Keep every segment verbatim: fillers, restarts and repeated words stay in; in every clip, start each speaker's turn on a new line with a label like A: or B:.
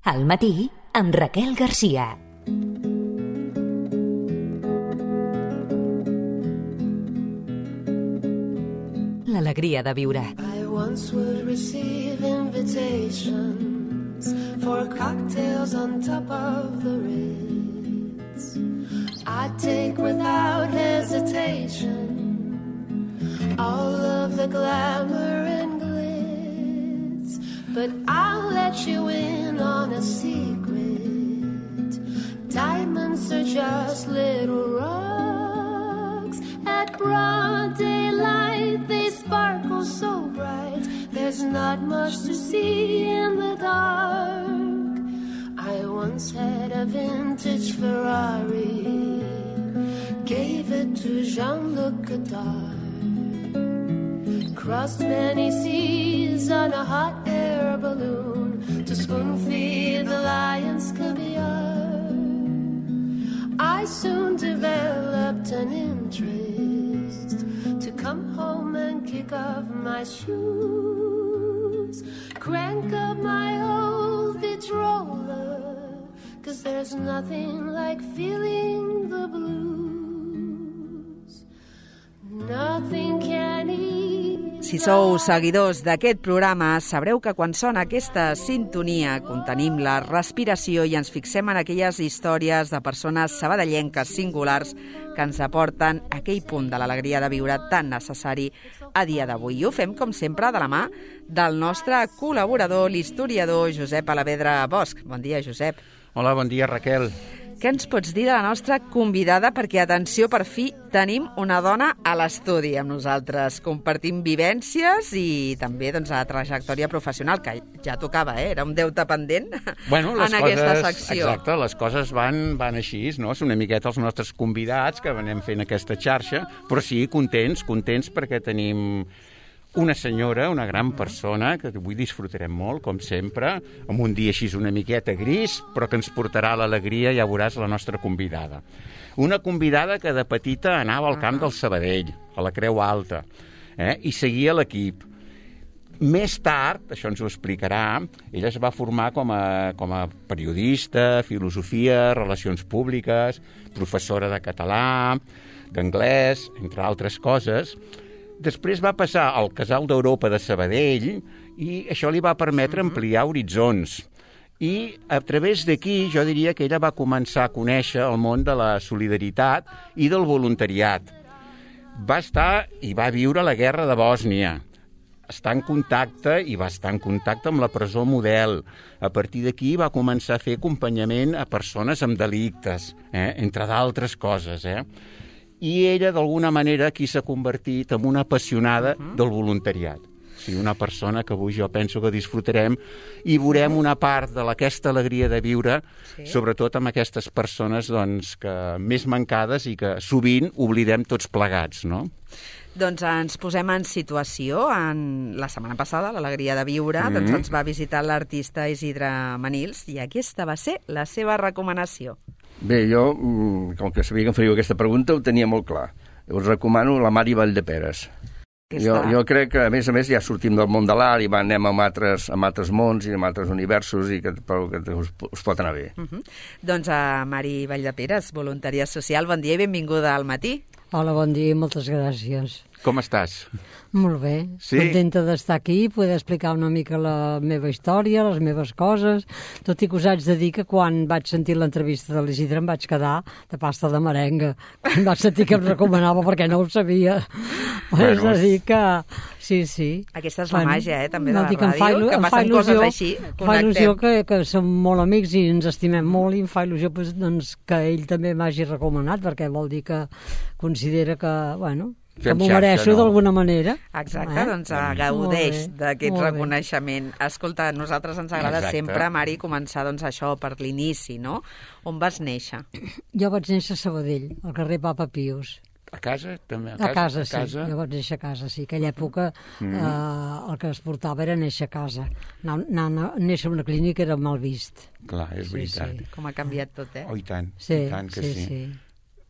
A: Al matí, amb Raquel Garcia. L'alegria de viure.
B: I once would receive invitations for cocktails on top of the Ritz. I'd take without hesitation all of the glamour and glitz. But I'll let you in on a secret. Diamonds are just little rocks. At broad daylight they sparkle so bright. There's not much to see in the dark. I once had a vintage Ferrari, gave it to Jean-Luc Godard. Crossed many seas on a hot air balloon to spoon-feed the lion's caviar. I soon developed an interest to come home and kick off my shoes, crank up my old Vitrola, 'cause there's nothing like feeling the blues. Nothing can eat.
C: Si sou seguidors d'aquest programa, sabreu que quan sona aquesta sintonia contenim la respiració i ens fixem en aquelles històries de persones sabadellenques singulars que ens aporten aquell punt de l'alegria de viure tan necessari a dia d'avui. I ho fem, com sempre, de la mà del nostre col·laborador, l'historiador Josep Alavedra Bosch. Bon dia, Josep.
D: Hola, bon dia, Raquel.
C: Què ens pots dir de la nostra convidada? Perquè, atenció, per fi tenim una dona a l'estudi amb nosaltres. Compartim vivències i també doncs, la trajectòria professional, que ja tocava, eh? Era un deute pendent
D: bueno, les
C: en
D: coses,
C: aquesta secció.
D: Exacte, les coses van, van així, no? És una miqueta els nostres convidats que anem fent aquesta xarxa, però sí, contents, contents perquè tenim una senyora, una gran persona, que avui disfrutarem molt, com sempre, amb un dia així una miqueta gris, però que ens portarà l'alegria, ja veuràs, la nostra convidada. Una convidada que de petita anava al camp del Sabadell, a la Creu Alta, eh? I seguia l'equip. Més tard, això ens ho explicarà, ella es va formar com a, com a periodista, filosofia, relacions públiques, professora de català, d'anglès, entre altres coses. Després va passar al Casal d'Europa de Sabadell i això li va permetre ampliar horitzons. I a través d'aquí jo diria que ella va començar a conèixer el món de la solidaritat i del voluntariat. Va estar i va viure la guerra de Bòsnia. Està en contacte i va estar en contacte amb la presó Model. A partir d'aquí va començar a fer acompanyament a persones amb delictes, eh? Entre d'altres coses, eh? I ella, d'alguna manera, aquí s'ha convertit en una apassionada uh-huh. del voluntariat. O sigui, una persona que avui jo penso que disfrutarem i veurem una part d'aquesta alegria de viure, sí. Sobretot amb aquestes persones doncs, que més mancades i que sovint oblidem tots plegats, no?
C: Doncs ens posem en situació. En la setmana passada, l'Alegria de Viure, mm-hmm. doncs ens va visitar l'artista Isidre Manils i aquesta va ser la seva recomanació.
E: Bé, jo, com que sabia que em faríeu aquesta pregunta, ho tenia molt clar. Us recomano la Mari Valldeperes. Jo, jo crec que, a més a més, ja sortim del món de l'art i anem amb altres, amb altres mons i amb altres universos i que, però que us, us pot anar bé.
C: Uh-huh. Doncs a Mari Valldeperes, voluntària social, bon dia i benvinguda al matí.
F: Hola, bon dia i moltes gràcies.
D: Com estàs?
F: Molt bé,
D: sí?
F: Contenta d'estar aquí i poder explicar una mica la meva història, les meves coses, tot i que us haig de dir que quan vaig sentir l'entrevista de l'Isidre em vaig quedar de pasta de merenga, quan vaig sentir que em recomanava perquè no ho sabia. Bueno, és a dir que... Sí, sí.
C: Aquesta és la bueno, màgia, eh, també, de
F: no,
C: la ràdio,
F: fa,
C: que passen il·lusió, coses així, connectem.
F: Fa il·lusió que, que som molt amics i ens estimem molt i em fa il·lusió pues, doncs, que ell també m'hagi recomanat, perquè vol dir que considera que, bueno...
D: Fem
F: que m'ho mereixo
D: no?
F: d'alguna manera.
C: Exacte, eh? Doncs gaudeix d'aquest reconeixement. Escolta, a nosaltres ens agrada Exacte. sempre, Mari, començar doncs, això per l'inici, no? On vas néixer?
F: Jo vaig néixer a Sabadell, al carrer Papa Pius.
D: A casa? També?
F: A casa, a casa, sí. A casa? Jo vaig néixer a casa, sí. Aquella època mm. eh, el que es portava era néixer a casa. Anar, anar, néixer a una clínica era mal vist.
D: Clar, és veritat.
F: Sí, sí.
C: Com ha canviat tot, eh?
D: Oh, i tant,
F: sí,
D: i tant que
F: sí.
D: sí.
F: sí.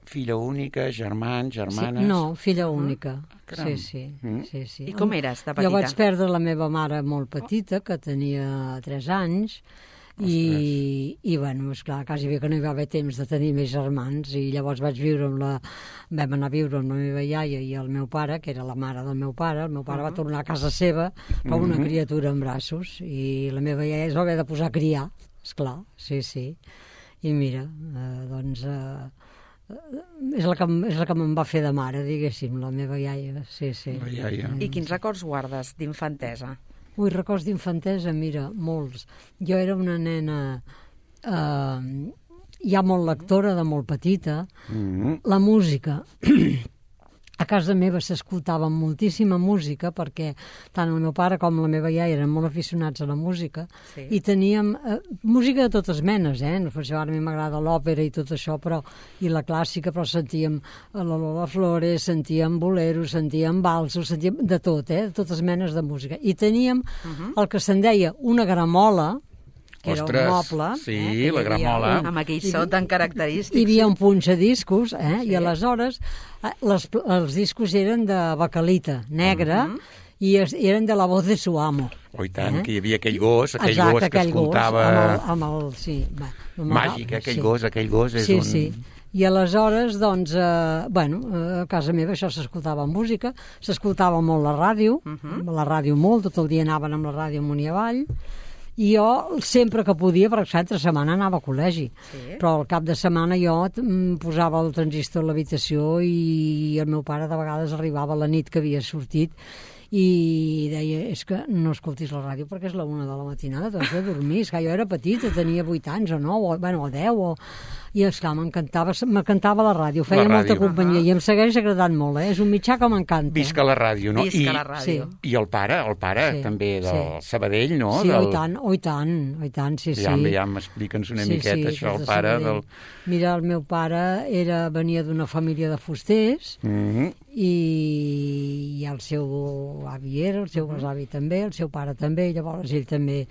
D: Filla única, germans, germanes...
F: Sí, no, filla única.
D: Ah,
F: sí, sí,
D: mm.
F: sí, sí.
C: I com eres, de petita?
F: Jo vaig perdre la meva mare molt petita, que tenia tres anys, I, i bueno, esclar, quasi bé que no hi va haver temps de tenir més germans, i llavors vaig viure amb la... vam anar a viure amb la meva iaia i el meu pare, que era la mare del meu pare. El meu pare uh -huh. va tornar a casa seva com una uh -huh. criatura en braços, i la meva iaia es va haver de posar a criar, esclar, sí, sí. I mira, eh, doncs... Eh, és la que, és la que me'n va fer de mare, diguéssim, la meva iaia, sí, sí.
D: La iaia.
C: I quins records guardes d'infantesa?
F: Ui, records d'infantesa, mira, molts. Jo era una nena eh, ja molt lectora, de molt petita. Mm-hmm. La música... A casa meva s'escoltava moltíssima música, perquè tant el meu pare com la meva iaia eren molt aficionats a la música, sí. I teníem eh, música de totes menes, eh? Per això ara a mi m'agrada l'òpera i tot això, però, i la clàssica, però sentíem la Lola Flores, sentíem boleros, sentíem valsos, sentíem de tot, eh? De totes menes de música. I teníem uh-huh. el que se'n deia una gramola, que
D: Ostres,
F: era un moble.
D: Sí,
F: eh,
D: la gramola.
C: Un, amb aquell so tan característic.
F: Hi havia un punxadiscos, eh?
C: Sí.
F: I aleshores eh, les, els discos eren de bacalita negra, uh -huh. i es, eren de la voz de su amo.
D: Oh, i tant,
F: eh?
D: que hi havia aquell gos, aquell
F: Exacte,
D: gos que
F: aquell
D: escoltava...
F: Gos, amb el, amb el, sí, va,
D: Màgic, aquell
F: sí.
D: gos, aquell gos és
F: sí,
D: un...
F: Sí, sí. I aleshores, doncs, eh, bueno, a casa meva això s'escoltava música, s'escoltava molt la ràdio, uh -huh. la ràdio molt, tot el dia anaven amb la ràdio amunt i avall, i jo sempre que podia, per exemple, entre setmana anava a col·legi, sí. Però al cap de setmana jo posava el transistor a l'habitació i el meu pare de vegades arribava a la nit que havia sortit i deia, és que no escoltis la ràdio perquè és la una de la matinada, t'has de dormir. És que jo era petita, tenia vuit anys o nou, o, bueno, o deu, o... i esclar, m'encantava, m'encantava la ràdio, feia la molta ràdio. companyia, uh -huh. i em segueix agradant molt, eh? És un mitjà que m'encanta.
D: Visca la ràdio, no?
C: Visca I, la ràdio.
D: Sí. I el pare, el pare sí. també del sí. Sabadell, no?
F: Sí,
D: del...
F: oi tant, oi tant, oi tant, sí, sí.
D: Ja, ja m'explica'ns una
F: sí,
D: miqueta
F: sí,
D: això, el pare
F: Sabadell.
D: del...
F: Mira, el meu pare era, venia d'una família de fusters, mm -hmm. i, i el seu avi era, el seu besavi també, el seu pare també, llavors ell també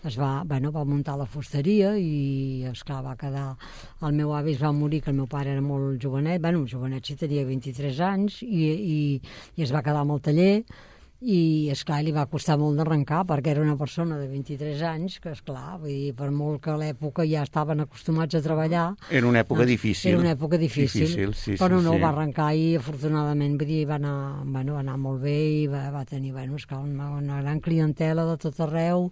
F: es va, bueno, va muntar la fusteria i, esclar, va quedar... El meu avi es va morir, que el meu pare era molt jovenet, bueno, jovenet sí, tenia vint-i-tres anys, i, i, i es va quedar amb el taller, i, esclar, li va costar molt d'arrencar, perquè era una persona de vint-i-tres anys, que, esclar, vull dir, per molt que a l'època ja estaven acostumats a treballar...
D: Era una època doncs, difícil.
F: Era una època difícil,
D: difícil sí,
F: però
D: sí,
F: no,
D: sí.
F: va arrencar i, afortunadament, vull dir, va anar, bueno, va anar molt bé i va, va tenir, bueno, esclar, una, una gran clientela de tot arreu,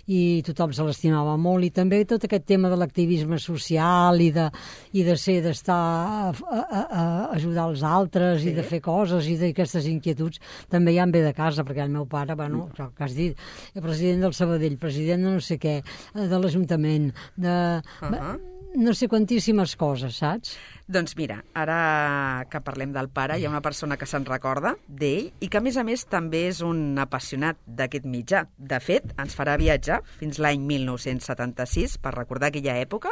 F: i tothom se l'estimava molt, i també tot aquest tema de l'activisme social i de, i de ser, d'estar a, a, a ajudar els altres, sí. I de fer coses i d'aquestes inquietuds també ja em ve de casa, perquè el meu pare, bueno, mm. que has dit, el president del Sabadell, president de no sé què, de l'Ajuntament, de... Uh -huh. no sé quantíssimes coses, saps?
C: Doncs mira, ara que parlem del pare, hi ha una persona que se'n recorda d'ell i que, a més a més, també és un apassionat d'aquest mitjà. De fet, ens farà viatjar fins l'any mil nou-cents setanta-sis, per recordar aquella època,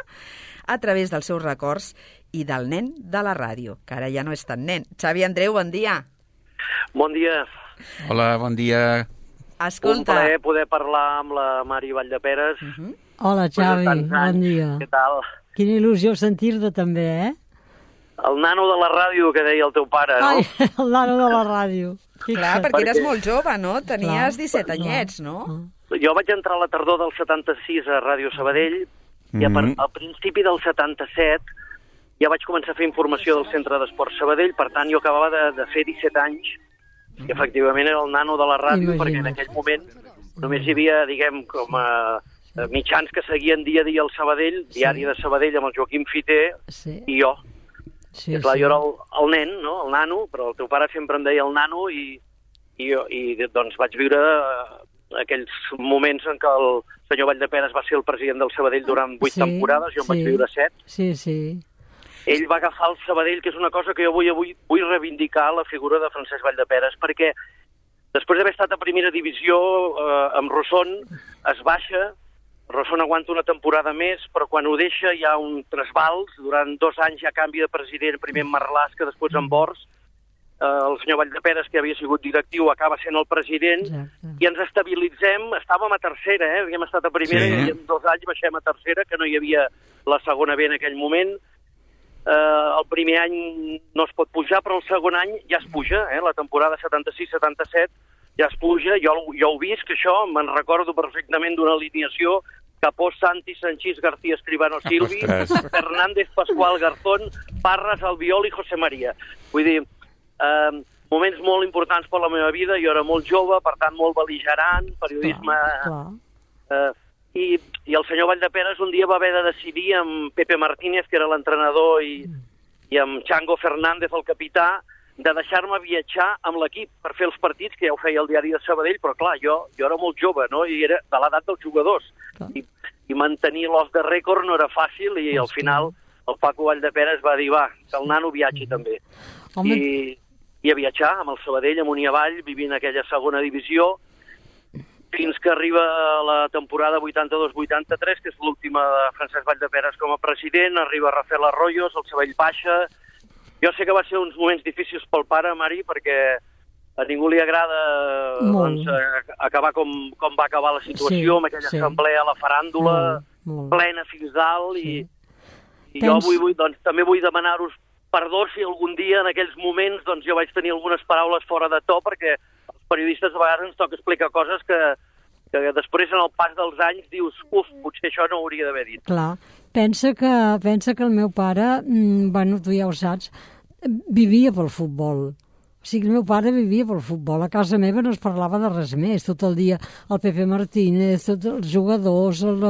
C: a través dels seus records i del nen de la ràdio, que ara ja no és tan nen. Xavi Andreu, bon dia.
G: Bon dia.
D: Hola, bon dia.
C: Escolta...
G: Un plaer poder parlar amb la Mari Valldeperes. Uh
F: -huh. Hola, Xavi, bon dia.
G: Què tal?
F: Quina il·lusió sentir-te també, eh?
G: El nano de la ràdio que deia el teu pare, no?
F: Ai, el nano de la ràdio.
C: Clar, perquè, perquè eres molt jove, no? Tenies disset anyets, no?
G: Jo vaig entrar a la tardor del setanta-sis a Ràdio Sabadell mm-hmm. i a, per, al principi del setanta-set ja vaig començar a fer informació del Centre d'Esports Sabadell, per tant jo acabava de, de fer disset anys i efectivament era el nano de la ràdio. Imagina't. Perquè en aquell moment només hi havia, diguem, com a mitjans que seguien dia a dia el Sabadell, sí. Diari de Sabadell amb el Joaquim Fiter sí. i jo. Sí, I clar, sí. Jo era el, el nen, no? El nano, però el teu pare sempre em deia el nano i, i, jo, i doncs vaig viure aquells moments en què el senyor Valldeperes va ser el president del Sabadell durant vuit sí, temporades, jo en sí. vaig viure set.
F: Sí, sí.
G: Ell va agafar el Sabadell, que és una cosa que jo vull, avui vull reivindicar la figura de Francesc Valldeperes, perquè després d'haver estat a primera divisió eh, amb Rosson es baixa, Rosson aguanta una temporada més, però quan ho deixa hi ha un trasbals, durant dos anys ja canvia de president, primer en Marlàs, que després en Bors, eh, el senyor Valldeperes, que havia sigut directiu, acaba sent el president, exacte. I ens estabilitzem, estàvem a tercera, eh? Havíem estat a primera sí. I en dos anys baixem a tercera, que no hi havia la segona B en aquell moment. Eh, el primer any no es pot pujar, però el segon any ja es puja, eh? La temporada setanta-sis setanta-set ja es puja, jo, jo ho visc, això, me'n recordo perfectament d'una alineació Capós Santi, Sanchís, García Escribano Silvi,
D: Ostres.
G: Fernández Pascual Garzón, Parras Albiol i José María. Vull dir, eh, moments molt importants per la meva vida, jo era molt jove, per tant molt bel·ligerant, periodisme...
F: Clar.
G: Eh, i, I el senyor Valldeperes un dia va haver de decidir amb Pepe Martínez, que era l'entrenador, i, i amb Chango Fernández, el capità, de deixar-me viatjar amb l'equip per fer els partits, que ja ho feia el diari de Sabadell, però clar, jo, jo era molt jove, no?, i era de l'edat dels jugadors. I, i mantenir l'os de rècord no era fàcil, i al final el Paco Valldeperes va dir, va, que el nano viatgi també.
F: Home.
G: I, I a viatjar amb el Sabadell, amunt i avall, vivint aquella segona divisió, fins que arriba la temporada vuitanta-dos vuitanta-tres, que és l'última de Francesc Valldeperes com a president, arriba Rafael Arroyos, el Sabadell baixa. Jo sé que va ser uns moments difícils pel pare, Mari, perquè a ningú li agrada doncs, acabar com, com va acabar la situació, sí, amb aquella sí. assemblea a la faràndula, molt, molt. plena fins dalt, sí. i, i Tens... jo vull, vull, doncs, també vull demanar-vos perdó si algun dia en aquells moments doncs, jo vaig tenir algunes paraules fora de to, perquè els periodistes a vegades ens toca explicar coses que, que després en el pas dels anys dius, uf, potser això no ho hauria d'haver dit.
F: Clar, pensa que, pensa que el meu pare, mmm, bueno, tu ja ho saps, vivia pel futbol. O sigui, el meu pare vivia pel futbol. A casa meva no es parlava de res més. Tot el dia el Pepe Martínez, tots els jugadors, el,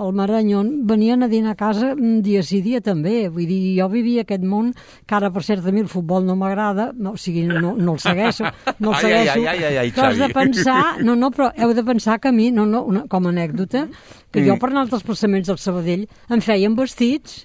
F: el Marañón, venien a dinar a casa dia sí dia també. Vull dir, jo vivia aquest món, que ara, per cert, a mi el futbol no m'agrada, no, o sigui, no, no el segueixo, no el segueixo.
D: Ai, ai, ai, ai, ai,
F: però has de pensar, no, no, però heu de pensar que a mi, no, no, una, com a anècdota, que mm. jo per anar als desplaçaments del Sabadell em feien vestits.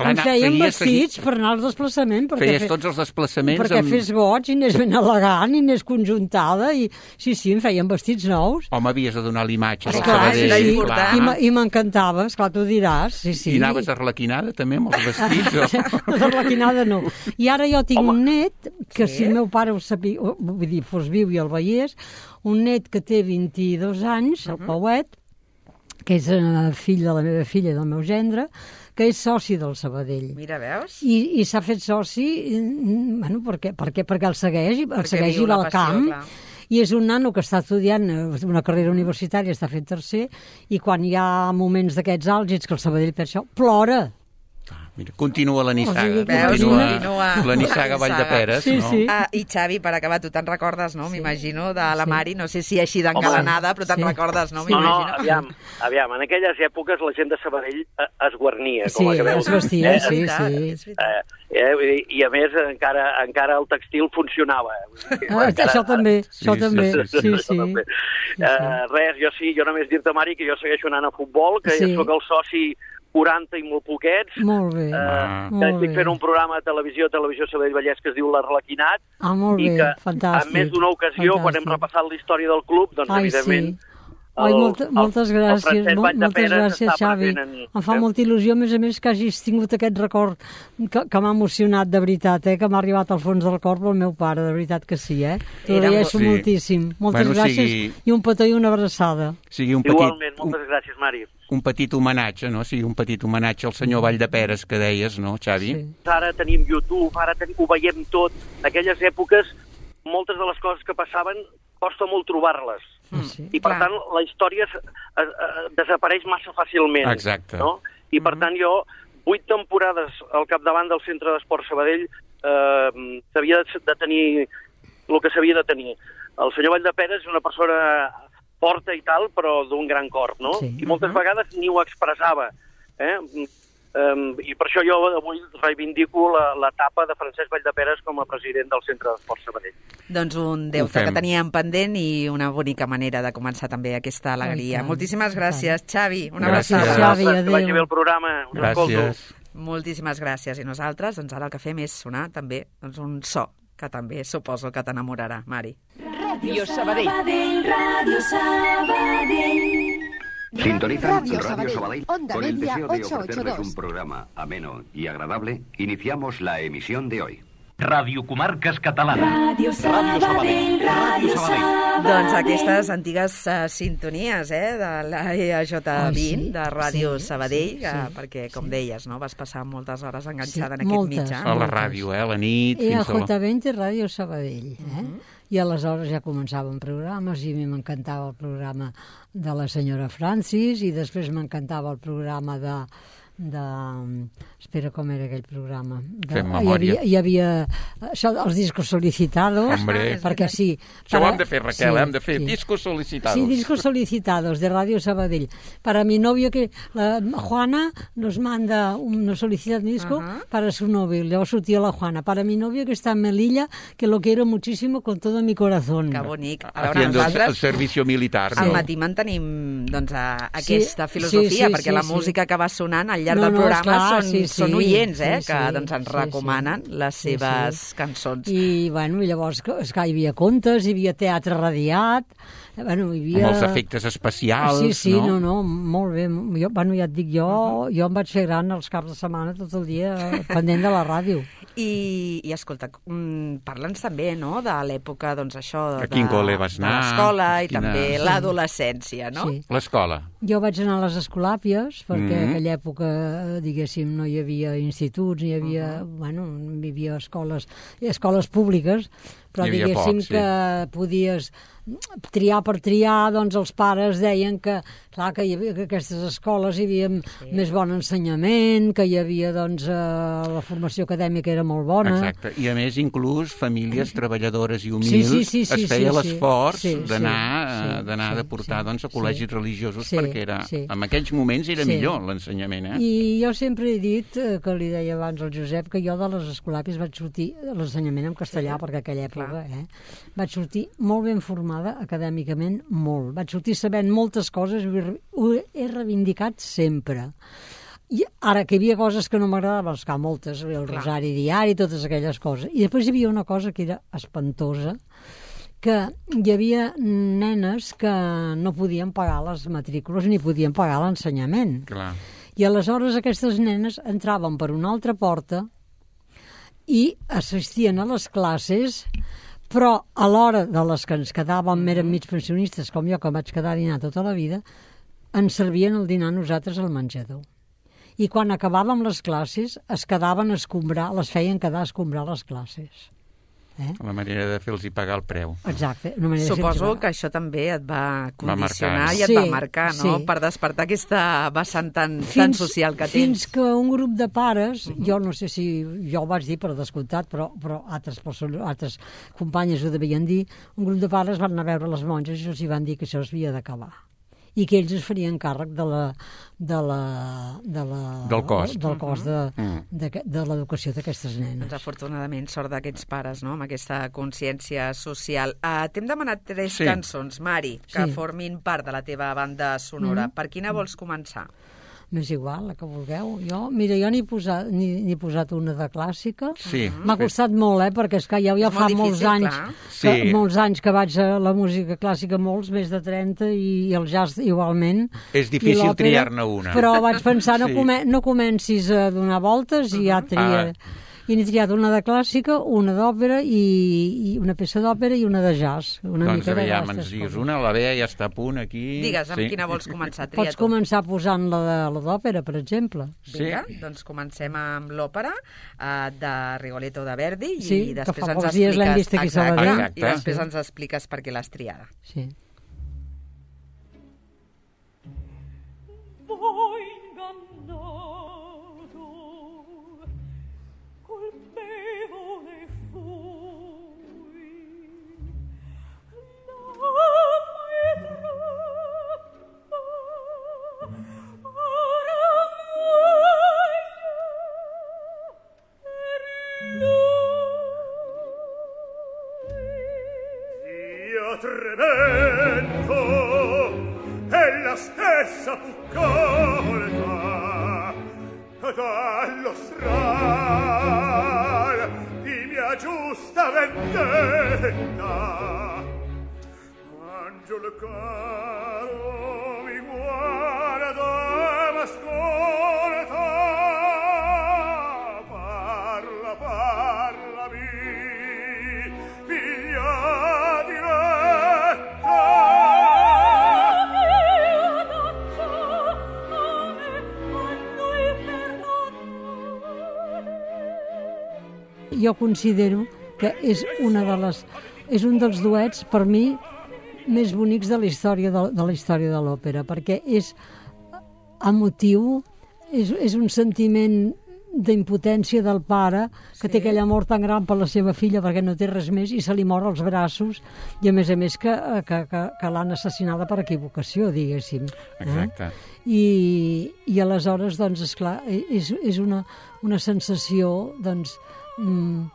F: Clar, em feien feies, vestits per anar als desplaçaments.
D: Feies
F: fe...
D: tots els desplaçaments
F: perquè
D: amb...
F: fes goig i anés ben elegant i anés conjuntada. I... Sí, sí, em feien vestits nous.
D: Home, havies de donar l'imatge del
F: Sabadell.
D: Sí,
F: clar. I, i m'encantava, esclar, tu diràs. Sí, sí.
D: I anaves arlequinada també amb els vestits? O...
F: Arlequinada no. I ara jo tinc Home. un net, que sí. si el meu pare ho sabia, vull dir, fos viu i el veiés, un net que té vint-i-dos anys, el uh -huh. Pauet, que és fill de la meva filla i del meu gendre, que és soci del Sabadell.
C: Mira, veus?
F: I, i s'ha fet soci, bueno, per què? Per què? Perquè el segueix, el perquè segueix i va al camp. Clar. I és un nano que està estudiant una carrera universitària, està fent tercer, i quan hi ha moments d'aquests àlgids que el Sabadell per això plora.
D: Mira, continua la nissaga.
F: O sigui,
D: continua,
C: continua
D: la nissaga Valldeperes,
F: sí,
D: no?
F: Sí.
C: Ah, I Xavi, per acabar, tu te'n recordes, no? Sí. M'imagino, de la
F: sí.
C: Mari, no sé si així d'engalanada, però te'n
F: sí.
C: recordes, no?
F: Sí.
G: No, no,
C: M'imagino.
G: aviam, aviam, en aquelles èpoques la gent de Sabadell es guarnia,
F: Sí,
G: com acabeu.
F: es vestia,
G: eh?
F: sí,
C: sí.
F: sí.
G: Eh, eh, I a més encara, encara el textil funcionava.
F: Ah,
G: encara,
F: això també,
D: sí,
F: això
D: sí,
F: també,
D: sí,
F: sí, sí.
G: sí, sí.
F: sí.
G: Eh, res, jo sí, jo només dir-te, Mari, que jo segueixo anant a futbol, que
F: Sí.
G: sóc el soci quaranta i molt poquets.
F: Molt bé,
G: Eh,
D: Ah.
G: que
F: molt
G: estic
F: bé.
G: fent un programa de televisió, televisió Sabadell Vallès, que es diu L'Arlequinat,
F: Ah, molt
G: i
F: bé,
G: que
F: fantàstic.
G: en més d'una ocasió,
F: fantàstic.
G: quan hem repassat la història del club, doncs
F: Ai,
G: evidentment...
F: Sí. Ai, molta, moltes
G: el,
F: gràcies,
G: el Francesc
F: molt, moltes
G: Valldeperes
F: gràcies,
G: està
F: Xavi.
G: present en-
F: Em fa
G: eh?
F: molta il·lusió, a més a més, que hagis tingut aquest record que, que m'ha emocionat, de veritat, eh? Que m'ha arribat al fons del cor pel meu pare, de veritat que sí, eh? T'ho
C: Era
F: agraeixo
D: molt- sí.
F: moltíssim. Moltes
D: Bueno,
F: gràcies
D: sigui-
F: i un petó i una abraçada.
D: Sigui un petit,
G: Igualment,
D: un,
G: moltes gràcies, Mari.
D: un petit homenatge, no? Sigui un petit homenatge al senyor Valldeperes, que deies, no, Xavi?
F: Sí.
G: Ara tenim YouTube, ara tenim, ho veiem tot. Aquelles èpoques, moltes de les coses que passaven, costa molt trobar-les.
F: Ah, sí.
G: I, per
C: Clar.
G: tant, la història es, es, es, desapareix massa fàcilment.
D: Exacte.
G: No? I, per tant, jo, vuit temporades al capdavant del Centre d'Esport Sabadell, eh, s'havia de, de tenir el que s'havia de tenir. El senyor Valldeperes és una persona forta i tal, però d'un gran cor, no?
F: Sí.
G: I moltes vegades ni ho expressava. Eh? Um, I per això jo avui reivindico la- l'etapa de Francesc Valldeperes com a president del Centre d'Esport Sabadell.
C: Doncs un
D: Ho
C: deute
D: fem.
C: que teníem pendent i una bonica manera de començar també aquesta alegria.
F: tant,
C: Moltíssimes
F: i
C: gràcies, Xavi. Una
D: Gràcies.
C: abraçada.
F: Xavi,
G: Que
F: adéu.
G: vagi bé el programa. Us escolto.
D: Gràcies.
C: Moltíssimes gràcies. I nosaltres, doncs ara el que fem és sonar també doncs, un so que també suposo que t'enamorarà, Mari.
H: Ràdio Sabadell. Ràdio Sabadell.
I: Sintonizan
H: Radio
I: Radio
H: Sabadell,
I: Sabadell.
H: Onda
I: Con el
H: Media
I: deseo de
H: ocho ocho
I: ofrecerles
H: dos.
I: un programa ameno y agradable, iniciamos la emisión de hoy. Ràdio Comarques Catalanes.
H: Ràdio Sabadell, Ràdio Sabadell.
C: Doncs aquestes antigues uh, sintonies eh, de la E A J vint, sí, de Ràdio sí, Sabadell, sí, sí, perquè, com sí. deies, no, vas passar moltes hores enganxada sí, en aquest
F: moltes,
C: mitjà.
D: A la ràdio, eh, a la nit.
F: E A
D: J
F: vint i Ràdio Sabadell. Eh? Uh -huh. I aleshores ja començaven programes i a mi m'encantava el programa de la senyora Francis i després m'encantava el programa de... de... Espera, com era aquell programa? De...
D: Fem memòria.
F: Hi havia, hi havia això, els discos solicitados.
D: Hombre.
F: Perquè sí.
D: Això
F: para...
D: ho hem de fer, Raquel, sí, hem de fer sí. discos solicitados.
F: Sí, discos solicitados de Radio Sabadell. Para mi novio, que la Juana nos manda una solicitud de disco uh -huh. para su novio. Llavors sortia la Juana. Para mi novio que está en Melilla, que lo quiero muchísimo con todo mi corazón.
C: Que bonic. A veure,
D: Haciendo
C: nosaltres,
D: el servicio militar.
C: Al
D: No?
C: matí mantenim doncs, a, aquesta sí, filosofia,
F: sí, sí,
C: perquè
F: sí,
C: la
F: sí.
C: música que va sonant al llarg
F: No,
C: del
F: no,
C: programa
F: esclar,
C: són,
F: sí,
C: són
F: sí,
C: oients, eh,
F: sí,
C: que
F: sí,
C: doncs, ens
F: sí,
C: recomanen
F: sí.
C: les seves
F: sí, sí.
C: cançons.
F: I, bueno, i llavors, esclar, hi havia contes, hi havia teatre radiat, bueno, hi havia...
D: Amb els efectes especials,
F: sí, sí,
D: no?
F: no, no, molt bé. Jo, bueno, ja et dic, jo, uh -huh. jo em vaig fer gran els caps de setmana tot el dia pendent de la ràdio.
C: I, i escolta, mm, parla'ns també, no?, de l'època, doncs això, de,
D: A quin col·le vas
C: de
D: anar?
C: l'escola i
D: Quina...
C: també
F: Sí.
C: l'adolescència, no?
F: Sí.
D: L'escola.
F: Jo vaig anar a les escolàpies, perquè
D: Mm.
F: en aquella època, diguéssim, no hi havia instituts, ni hi havia, uh -huh. bueno, hi havia escoles, escoles públiques, però
D: Hi havia
F: diguéssim
D: poc, sí.
F: que podies triar per triar, doncs els pares deien que, clar, que, hi havia, que aquestes escoles hi havia sí. més bon ensenyament, que hi havia, doncs, eh, la formació acadèmica era molt bona.
D: Exacte, i a més inclús famílies treballadores i humils
F: Sí, sí, sí, sí,
D: es feia
F: sí, sí.
D: l'esforç
F: Sí,
D: d'anar
F: sí,
D: sí, d'anar
F: sí,
D: de portar
F: sí,
D: doncs, a col·legis
F: sí.
D: religiosos
F: Sí,
D: perquè era,
F: sí.
D: en aquells moments era
F: Sí.
D: millor l'ensenyament, eh?
F: I jo sempre he dit, eh, que li deia abans al Josep, que jo de les escolàpies vaig sortir, l'ensenyament en castellà, sí. perquè aquella època, eh, vaig sortir molt ben formada acadèmicament, molt. Vaig sortir sabent moltes coses i ho he reivindicat sempre. I ara, que hi havia coses que no m'agradaven, esclar, moltes, el
C: Clar.
F: Rosari Diari, totes aquelles coses. I després hi havia una cosa que era espantosa, que hi havia nenes que no podien pagar les matrícules ni podien pagar l'ensenyament.
D: Clar.
F: I aleshores aquestes nenes entraven per una altra porta i assistien a les classes, però a l'hora de les que ens quedàvem, eren mig pensionistes, com jo, que vaig quedar a dinar tota la vida, ens servien el dinar a nosaltres al menjador. I quan acabàvem les classes, es quedaven a escombrar, les feien quedar a escombrar les classes. Eh?
D: La manera de fer-los pagar el preu.
F: Exacte. Una manera
C: Suposo
F: de fer
C: que això també et va condicionar
D: marcar, no?
C: i et
F: Sí,
C: va marcar, no?,
F: sí.
C: per despertar aquesta vessant tan, tan
F: fins,
C: social que tens.
F: fins que un grup de pares, uh -huh. jo no sé si jo ho vaig dir per descomptat, però, però altres, persones, altres companyes ho devien dir, un grup de pares van anar a veure les monges i els hi van dir que això s'havia d'acabar i que ells es farien càrrec de la, de la, de la,
D: del cost,
F: del cost de,
D: mm.
F: de, de, de l'educació d'aquestes nenes.
C: Doncs afortunadament sort d'aquests pares, no?, amb aquesta consciència social. Uh, T'hem demanat tres
D: Sí.
C: cançons, Mari, que
F: Sí.
C: formin part de la teva banda sonora.
F: Mm.
C: Per quina vols començar?
F: M'és igual, la que vulgueu. Jo, mira, jo n'he posat, n'he posat una de clàssica.
D: Sí.
F: M'ha costat molt, eh, perquè és que ja, ja
C: És
F: fa
C: molt
F: molts
C: difícil,
F: anys,
C: clar.
F: que,
D: Sí.
F: molts anys que vaig a la música clàssica, molts, més de trenta, i, i el jazz igualment.
D: És
F: I
D: difícil
F: l'òpera,
D: triar-ne una.
F: Però vaig pensar, no,
D: Sí.
F: come, no comencis a donar voltes i ja tria...
D: Ah.
F: I n'he triat una de clàssica, una d'òpera, i, i una peça d'òpera i una de jazz. Una
D: Doncs
F: mica de
D: aviam,
F: gastes
D: ens digues
F: coses.
D: una, la Bea ja està a punt aquí.
C: Digues, amb
D: Sí.
C: quina vols començar? Tria
F: Pots
C: tu.
F: començar posant la de la d'òpera, per exemple.
D: Sí.
C: Vinga, doncs comencem amb l'òpera uh, de Rigoletto de Verdi
F: Sí,
C: i
F: que
C: després
F: fa
C: ens
F: pocs dies l'hem
C: expliques...
F: vist aquí a
C: Exacte,
F: Sabadell.
C: i després
F: Sí.
C: ens expliques per què l'has triada.
F: Sí.
H: Voi ingannato, colpevole fui, l'amma è troppa, ora muoio per lui. Io tremendo e la stessa fu colta dallo stral di mia giusta vendetta. Angelo caro mi guarda m'ascolta, parla, parlami
F: jo considero que és una de les... és un dels duets, per mi, més bonics de la història de, de la història de l'òpera, perquè és emotiu, és, és un sentiment d'impotència del pare, que sí. té aquell amor tan gran per la seva filla perquè no té res més i se li mor als braços, i a més a més que, que, que, que l'han assassinada per equivocació, diguéssim.
D: Exacte.
F: Eh? I, i aleshores, doncs, esclar, és, és una, una sensació, doncs... Mm,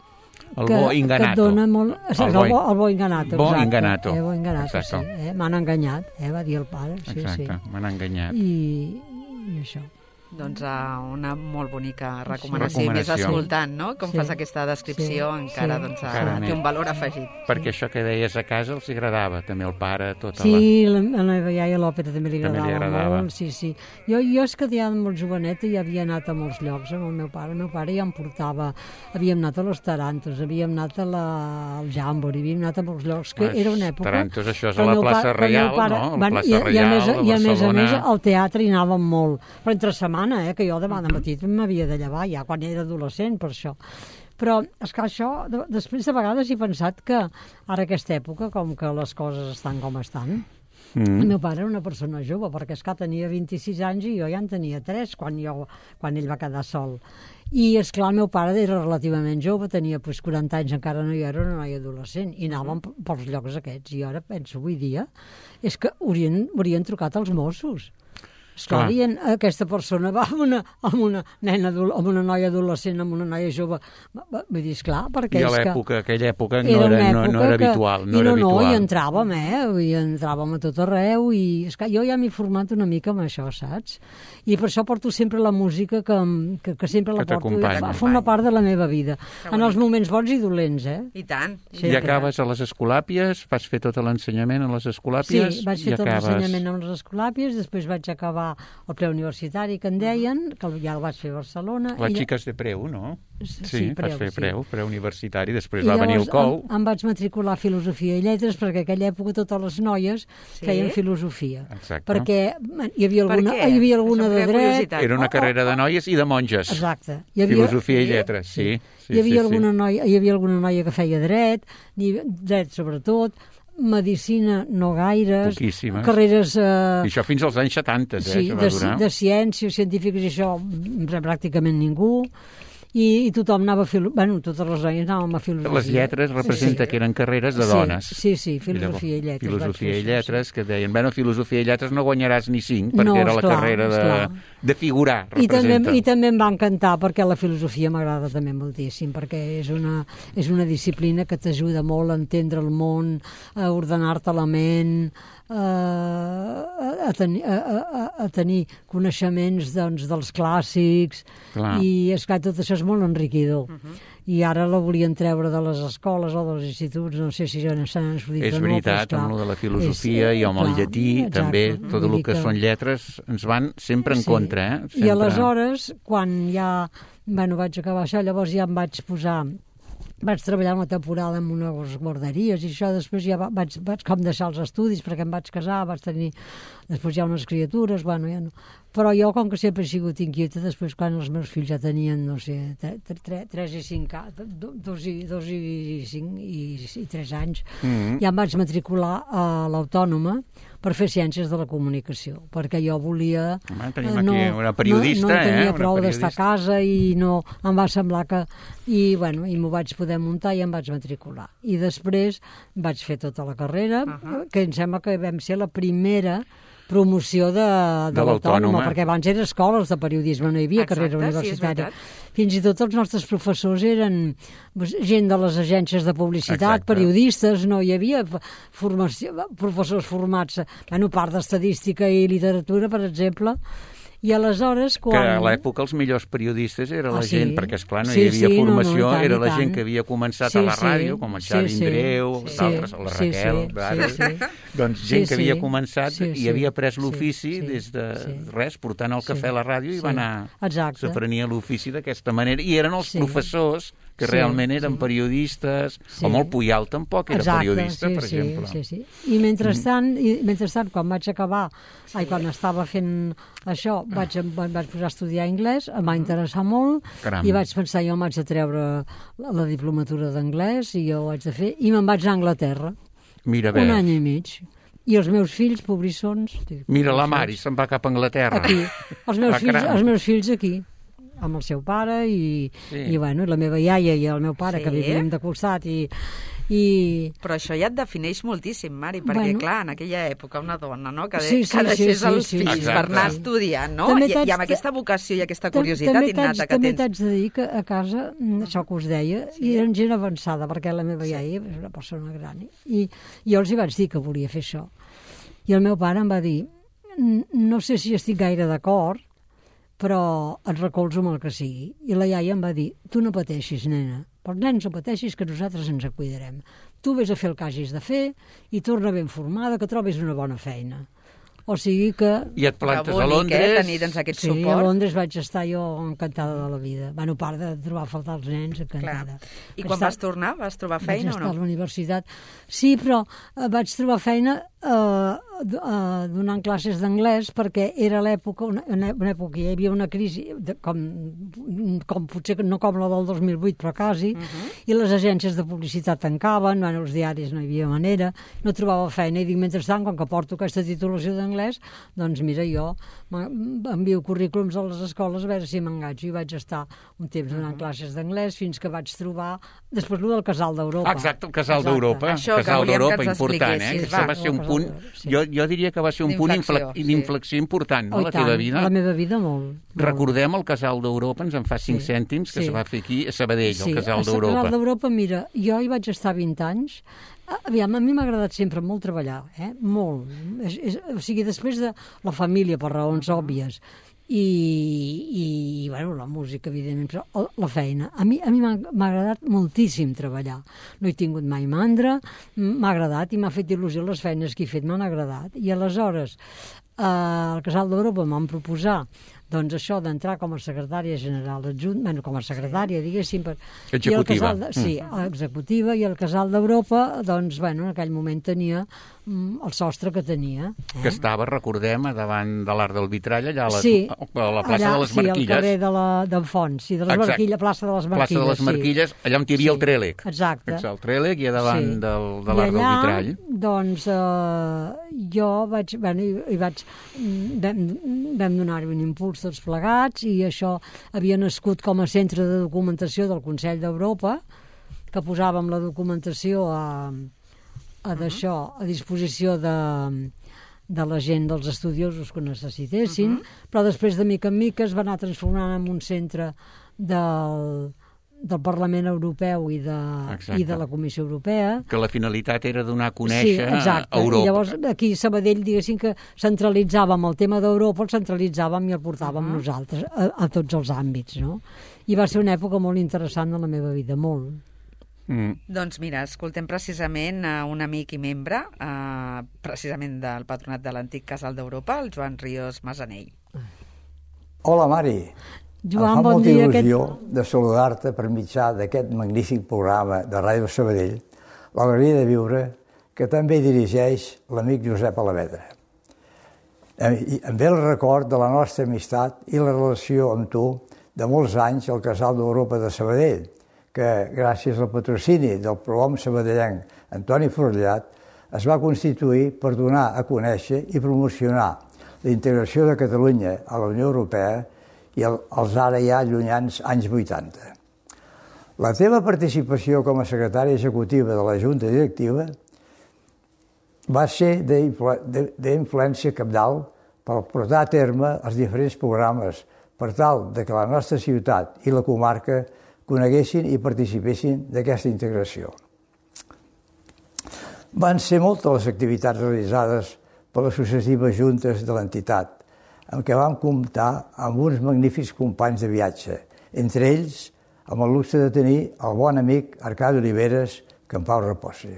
D: el bo inganato.
F: Que et dona molt... El, el, bo, el bo inganato,
D: bo
F: exacte.
D: inganato.
F: Eh, bo inganato, sí. Eh? M'han enganyat, eh? va dir el pare. Sí,
D: exacte,
F: sí.
D: m'han enganyat.
F: I, i això.
C: Doncs uh, una molt bonica recomanació.
D: Sí.
C: I més escoltant, no? Com
F: sí.
C: fas aquesta descripció,
F: sí.
C: encara,
F: sí.
C: doncs,
D: encara
C: uh, té un valor afegit.
D: Perquè això que deies a casa els agradava, també el pare, tota
F: sí,
D: la...
F: Sí, la, la meva iaia l'òpera també li agradava,
D: també li agradava
F: molt. Sí, sí. Jo, jo és que ja molt joveneta i havia anat a molts llocs amb el meu pare. El meu pare ja em portava... Havíem anat a los Tarantos, havíem anat a la, al Jàmbori, havíem anat a molts llocs, que
D: Les
F: era una època...
D: Tarantos, això és a la plaça Reial,
F: pare,
D: no?
F: Van,
D: La plaça
F: i,
D: Reial,
F: i a més,
D: a
F: I a més a més,
D: Barcelona...
F: al teatre hi anàvem molt. Però entre setmana, eh, que jo demà de matí m'havia de llevar ja quan era adolescent per això. Però, esclar, això, de, després de vegades he pensat que ara aquesta època, com que les coses estan com estan, mm. el meu pare era una persona jove, perquè esclar, tenia vint-i-sis anys i jo ja en tenia tres quan, jo, quan ell va quedar sol. I, esclar, el meu pare era relativament jove, tenia pues, quaranta anys, encara no hi era una noia adolescent, i anàvem pels llocs aquests. I ara penso, avui dia, és que haurien, haurien trucat als Mossos. Esclar, i aquesta persona va amb una, amb una nena, amb una noia adolescent, amb una noia jove. Vull dir, esclar, perquè
D: I a
F: és que...
D: l'època, aquella època no era, era, no, no era
F: que,
D: habitual. No
F: I
D: era
F: no, no,
D: habitual.
F: i entràvem, eh? I entràvem a tot arreu, i esclar, jo ja m'he format una mica amb això, saps? I per això porto sempre la música que, que, que sempre la
D: que
F: porto. Fa, fa una part de la meva vida. En els moments bons i dolents, eh?
C: I tant.
F: Sempre.
D: I acabes a les escolàpies? Vas fer tot l'ensenyament a les escolàpies?
F: Sí, vaig fer tot
D: acabes...
F: l'ensenyament a les escolàpies, després vaig acabar el preuniversitari que en deien, que ja el vaig fer a Barcelona.
D: Les
F: i...
D: xiques de Preu, no?
F: Sí,
D: sí vas fer
F: sí.
D: Preu, preuniversitari, després
F: I
D: va venir el Cou.
F: Em, em vaig matricular a Filosofia i Lletres, perquè en aquella època totes les noies sí? feien Filosofia.
D: Exacte.
F: Perquè hi havia alguna,
C: per
F: hi havia alguna de dret...
D: Era una carrera de noies i de monges.
F: Exacte. Hi havia...
D: Filosofia i Lletres, sí. sí. sí
F: hi, havia
D: sí,
F: alguna
D: sí.
F: Noia, hi havia alguna noia que feia dret, dret sobretot, medicina no gaires,
D: poquíssimes.
F: Carreres... Eh,
D: I això fins als anys setanta, eh,
F: sí,
D: que va
F: de,
D: durar.
F: de ciències científiques i això pràcticament ningú. I, i tothom anava a filo... bueno, totes les noies anàvem a filosofia.
D: Les lletres representa sí. que eren carreres de
F: sí,
D: dones.
F: Sí, sí, filosofia i lletres.
D: Filosofia i lletres, que deien, bueno, filosofia i lletres no guanyaràs ni cinc, perquè
F: no,
D: era la
F: esclar,
D: carrera de, de figurar,
F: I
D: representa.
F: també, I també em va encantar, perquè la filosofia m'agrada també moltíssim, perquè és una, és una disciplina que t'ajuda molt a entendre el món, a ordenar-te la ment, a, a, tenir, a, a, a tenir coneixements doncs, dels clàssics, clar. I esclar, tot això és molt enriquidor. Uh -huh. I ara la volien treure de les escoles o dels instituts, no sé si ja s'han escollit
D: és
F: o no.
D: veritat,
F: però,
D: amb lo de la filosofia
F: és,
D: i amb el
F: clar,
D: llatí, exacte, també, tot el que, que són lletres ens van sempre en
F: sí.
D: contra. Eh? Sempre...
F: I aleshores, quan ja bueno, vaig acabar això, llavors ja em vaig posar... Vaig treballar una temporada en unes guarderies i això, després ja vaig, vaig com deixar els estudis perquè em vaig casar, vaig tenir després ja unes criatures, bueno, ja no. Però jo, com que sempre he sigut inquieta, després quan els meus fills ja tenien, no sé, tres i cinc, dos i, dos i cinc i, i tres anys, mm-hmm. ja em vaig matricular a l'Autònoma per fer Ciències de la Comunicació, perquè jo volia...
D: Home, tenim aquí no, una periodista,
F: no, no tenia
D: eh?
F: prou d'estar a casa i no, em va semblar que... I, bueno, i m'ho vaig poder muntar i em vaig matricular. I després vaig fer tota la carrera, uh-huh. que em sembla que vam ser la primera promoció de, de, de l'Autònoma, perquè abans eren escoles de periodisme, no hi havia
C: Exacte,
F: carrera universitària.
C: Sí,
F: fins i tot els nostres professors eren gent de les agències de publicitat,
D: Exacte.
F: periodistes, no hi havia formació, professors formats, bueno, part d'estadística i literatura, per exemple. I aleshores, quan...
D: Que a l'època els millors periodistes era la
F: ah, sí?
D: gent, perquè, esclar, no
F: sí,
D: hi havia
F: sí,
D: formació,
F: no, no, tant,
D: era la
F: tant.
D: gent que havia començat
F: sí,
D: a la
F: sí,
D: ràdio, com el Xavi
F: sí,
D: Indreu,
F: sí,
D: d'altres, la
F: sí,
D: Raquel,
F: sí,
D: d'ara.
F: sí, sí.
D: Doncs gent
F: sí,
D: que havia
F: sí,
D: començat
F: sí, sí,
D: i havia pres l'ofici
F: sí, sí,
D: des de
F: sí.
D: res, portant el cafè
F: sí,
D: a la ràdio i
F: sí.
D: va anar...
F: Exacte.
D: S'aprenia l'ofici d'aquesta manera. I eren els
F: sí.
D: professors que
F: sí,
D: realment eren
F: sí.
D: periodistes,
F: sí.
D: o molt Puyal tampoc era
F: Exacte,
D: periodista,
F: sí,
D: per
F: sí,
D: exemple.
F: Sí, sí. I mentrestant, mm. i mentrestant, quan vaig acabar, ai, quan estava fent això, vaig, vaig posar a estudiar anglès, em va interessar molt,
D: Caram.
F: i vaig pensar, jo m'haig de treure la, la diplomatura d'anglès, i jo ho haig de fer, i me'n vaig a Anglaterra.
D: Mira bé.
F: Un any i mig. I els meus fills, pobrissons... Dic,
D: Mira, la Mari se'n va cap a Anglaterra.
F: Aquí. Els meus,
D: Ah,
F: fills,
D: caram.
F: els meus fills aquí, amb el seu pare, i,
D: Sí.
F: i, bueno, i la meva iaia i el meu pare,
C: Sí?
F: que vivíem de costat, i... i
C: Però això ja et defineix moltíssim, Mari, perquè,
F: Bueno.
C: clar, en aquella època una dona, no?, que, de,
F: Sí, sí,
C: que deixés
F: sí,
C: els
F: sí,
C: fills
D: sí.
C: per anar
F: Exacte.
C: estudiant, no?
F: També
C: I,
F: t'haig
C: I amb
F: de-
C: aquesta vocació i aquesta
F: Tam-
C: curiositat
F: també
C: innata
F: t'haig-
C: que
F: També
C: tens.
F: t'haig de dir que a casa, mm, això que us deia, sí. eren gent avançada, perquè la meva iaia és una persona gran. I jo els hi vaig dir que volia fer això. I el meu pare em va dir, no sé si estic gaire d'acord, però et recolzo amb el que sigui. I la iaia em va dir, tu no pateixis, nena, pels nens no pateixis, que nosaltres ens cuidarem. Tu vés a fer el que hagis de fer i torna ben formada, que trobis una bona feina. O sigui que...
D: I et plantes
C: Però
D: a
C: bonic, eh,
D: Londres...
C: tenir, doncs, aquest
F: Sí, a
C: suport.
F: Londres vaig estar jo encantada de la vida. Bueno, a part de trobar a faltar els nens, encantada.
C: Clar. I
F: Vaig
C: quan
F: estar-
C: vas tornar, vas trobar
F: Vaig
C: feina o
F: estar
C: no?
F: a la universitat. Sí, però eh, vaig trobar feina eh, d- eh, donant classes d'anglès, perquè era l'època, una, una una època hi havia una crisi, de, com, com potser no com la del dos mil vuit, però quasi,
C: Uh -huh.
F: i les agències de publicitat tancaven, bueno, els diaris no hi havia manera, no trobava feina, i dic, mentrestant, com que porto aquesta titulació d'anglès, doncs mira, jo m'en- envio currículums a les escoles a veure si m'enganxo, i vaig estar un temps donant uh -huh. classes d'anglès fins que vaig trobar, després el del Casal d'Europa.
D: Exacte, el Casal
F: Exacte.
D: d'Europa.
C: Això que
D: Casal
C: volíem que
D: d'Europa,
C: ens
D: important, eh?
C: expliquessis,
D: Això
C: va.
D: va ser un
F: El
D: punt...
F: Casal d'Europa, sí.
D: Jo, jo diria que va ser un punt
C: D'inflexió,
D: infle-
C: sí.
D: d'inflexió important, no?,
F: Oh, i
D: la teva
F: tant,
D: vida.
F: la meva vida molt. molt.
D: Recordem el Casal d'Europa, ens en fa cinc
F: Sí.
D: cèntims, que
F: Sí.
D: es va fer aquí a Sabadell,
F: Sí,
D: el Casal
F: al Casal
D: d'Europa.
F: d'Europa, mira, jo hi vaig estar vint anys. Aviam, a mi m'ha agradat sempre molt treballar, eh? Molt. És, és, o sigui, després de la família, per raons òbvies, i, i bueno, la música, evidentment, però el- la feina. A mi, a mi m'ha m'ha agradat moltíssim treballar. No he tingut mai mandra, m'ha agradat i m'ha fet il·lusió les feines que he fet, m'han agradat. I aleshores, eh, al Casal d'Europa m'han proposat doncs això d'entrar com a secretària general adjunt, bueno, com a secretària, diguéssim, per...
D: Executiva.
F: I el casal de, sí, executiva, i el Casal d'Europa, doncs, bueno, en aquell moment tenia mm, el sostre que tenia. Eh?
D: Que estava, recordem, a davant de l'Arc del Vitrall, allà a, les,
F: Sí,
D: a la plaça
F: allà,
D: de les
F: sí, al
D: Marquilles.
F: carrer de la, d'en Fons, sí, de les
D: Exacte.
F: Marquilles, plaça de les Marquilles.
D: Plaça de les Marquilles,
F: sí.
D: allà on hi havia
F: Sí,
D: el Trèlec.
F: exacte.
D: Exacte, el Trèlec i a davant
F: Sí.
D: del, de
F: I
D: l'Arc del
F: allà,
D: Vitrall.
F: doncs, eh, jo vaig, bueno, hi, hi vaig, mm, vam, vam donar-hi un impuls tots plegats, i això havia nascut com a centre de documentació del Consell d'Europa, que posàvem la documentació a, a d'això, a disposició de, de la gent, dels estudiosos que necessitessin, uh -huh. però després de mica en mica es va anar transformant en un centre del, del Parlament Europeu i de,
D: Exacte.
F: i de la Comissió Europea.
D: Que la finalitat era donar a
F: Sí,
D: conèixer
F: exacte.
D: a Europa.
F: I llavors aquí a Sabadell, diguéssim que centralitzàvem el tema d'Europa, el centralitzàvem i el portàvem uh -huh. nosaltres a, a tots els àmbits, no? I va ser una època molt interessant de la meva vida, molt.
D: Mm.
C: Doncs mira, escoltem precisament a un amic i membre, eh, precisament del patronat de l'antic Casal d'Europa, el Joan Ríos Masanell.
J: Hola, Mari.
F: Joan,
J: em fa
F: bon
J: molta
F: dia.
J: il·lusió
F: Aquest...
J: de saludar-te per mitjà d'aquest magnífic programa de Ràdio Sabadell, l'alegria de viure, que també dirigeix l'amic Josep Alavedra. Em em ve el record de la nostra amistat i la relació amb tu de molts anys al Casal d'Europa de Sabadell, que gràcies al patrocini del prohom sabadellenc Antoni Forrellat es va constituir per donar a conèixer i promocionar la integració de Catalunya a la Unió Europea i el, els ara ja llunyans anys vuitanta. La teva participació com a secretària executiva de la Junta Directiva va ser d'influència cabdal per portar a terme els diferents programes per tal de que la nostra ciutat i la comarca coneguessin i participessin d'aquesta integració. Van ser moltes les activitats realitzades per les successives juntes de l'entitat, en què vam comptar amb uns magnífics companys de viatge, entre ells amb el luxe de tenir el bon amic Arcadi Oliveres, que en pau reposi.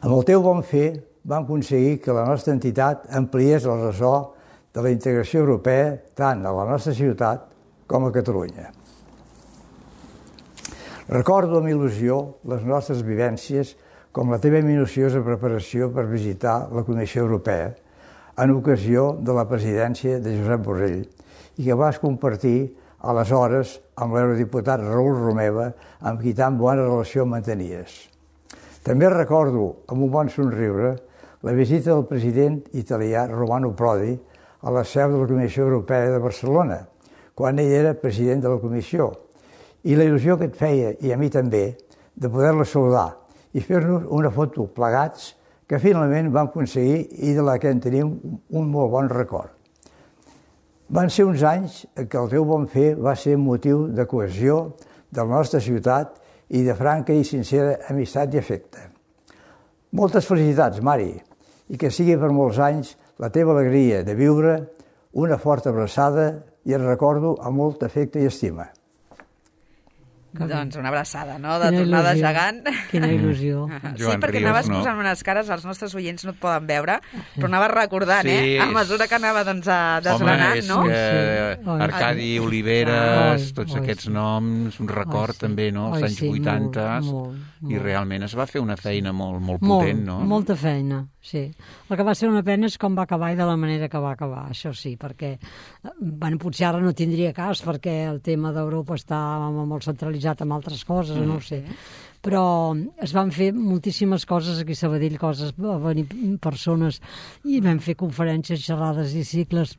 J: Amb el teu bon fer vam aconseguir que la nostra entitat ampliés el ressò de la integració europea tant a la nostra ciutat com a Catalunya. Recordo amb il·lusió les nostres vivències com la teva minuciosa preparació per visitar la Comissió Europea, en ocasió de la presidència de Josep Borrell i que vas compartir aleshores amb l'eurodiputat Raül Romeva, amb qui tan bona relació mantenies. També recordo, amb un bon somriure, la visita del president italià Romano Prodi a la seu de la Comissió Europea de Barcelona, quan ell era president de la Comissió, i la il·lusió que et feia, i a mi també, de poder-la saludar i fer-nos una foto plegats que finalment vam aconseguir i de la que en tenim un molt bon record. Van ser uns anys que el teu bon fer va ser motiu de cohesió de la nostra ciutat i de franca i sincera amistat i afecte. Moltes felicitats, Mari, i que sigui per molts anys la teva alegria de viure, una forta abraçada i et recordo amb molt afecte i estima.
C: Doncs una abraçada, no?, de tornada gegant.
F: Quina il·lusió.
C: Sí, perquè anaves posant unes cares, els nostres oients no et poden veure, però anaves recordant, eh? A mesura que anava doncs desgranant, no?
D: Home, és que Arcadi Oliveres, tots aquests noms, un record també, no?, als anys vuitanta, i realment es va fer una feina molt potent, no?
F: Molta feina, sí. El que va ser una pena és com va acabar i de la manera que va acabar, això sí, perquè bueno, potser ara no tindria cas perquè el tema d'Europa està molt centralitzat amb altres coses, no ho sé. Però es van fer moltíssimes coses aquí a Sabadell, coses, va venir persones i vam fer conferències, xerrades i cicles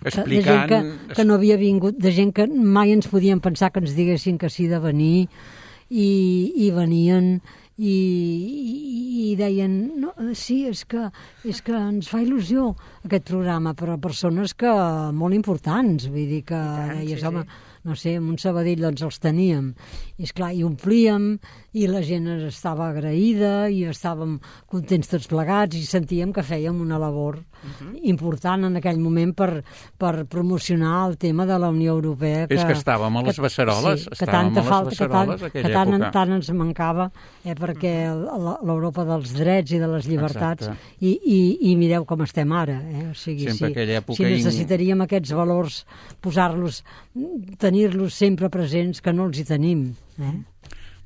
D: explicant...
F: de gent que, que no havia vingut, de gent que mai ens podien pensar que ens diguessin que sí de venir i, i venien i, i, i deien no, sí, és que, és que ens fa il·lusió aquest programa, però persones que molt importants, vull dir que tant, deies, sí, home, sí. No sé, en un Sabadell doncs els teníem i esclar, i omplíem i la gent estava agraïda i estàvem contents tots plegats i sentíem que fèiem una labor uh-huh. important en aquell moment per, per promocionar el tema de la Unió Europea.
D: Que, és que estàvem a les Beceroles,
F: sí,
D: estàvem a les
F: falta,
D: Beceroles
F: que tant,
D: aquella
F: que tant,
D: època.
F: tant ens mancava, eh, perquè l'Europa dels drets i de les llibertats i, i, i mireu com estem ara. Eh? O sigui,
D: sempre
F: si,
D: aquella època...
F: Si necessitaríem aquests valors, posar-los, tenir-los sempre presents, que no els hi tenim. Eh?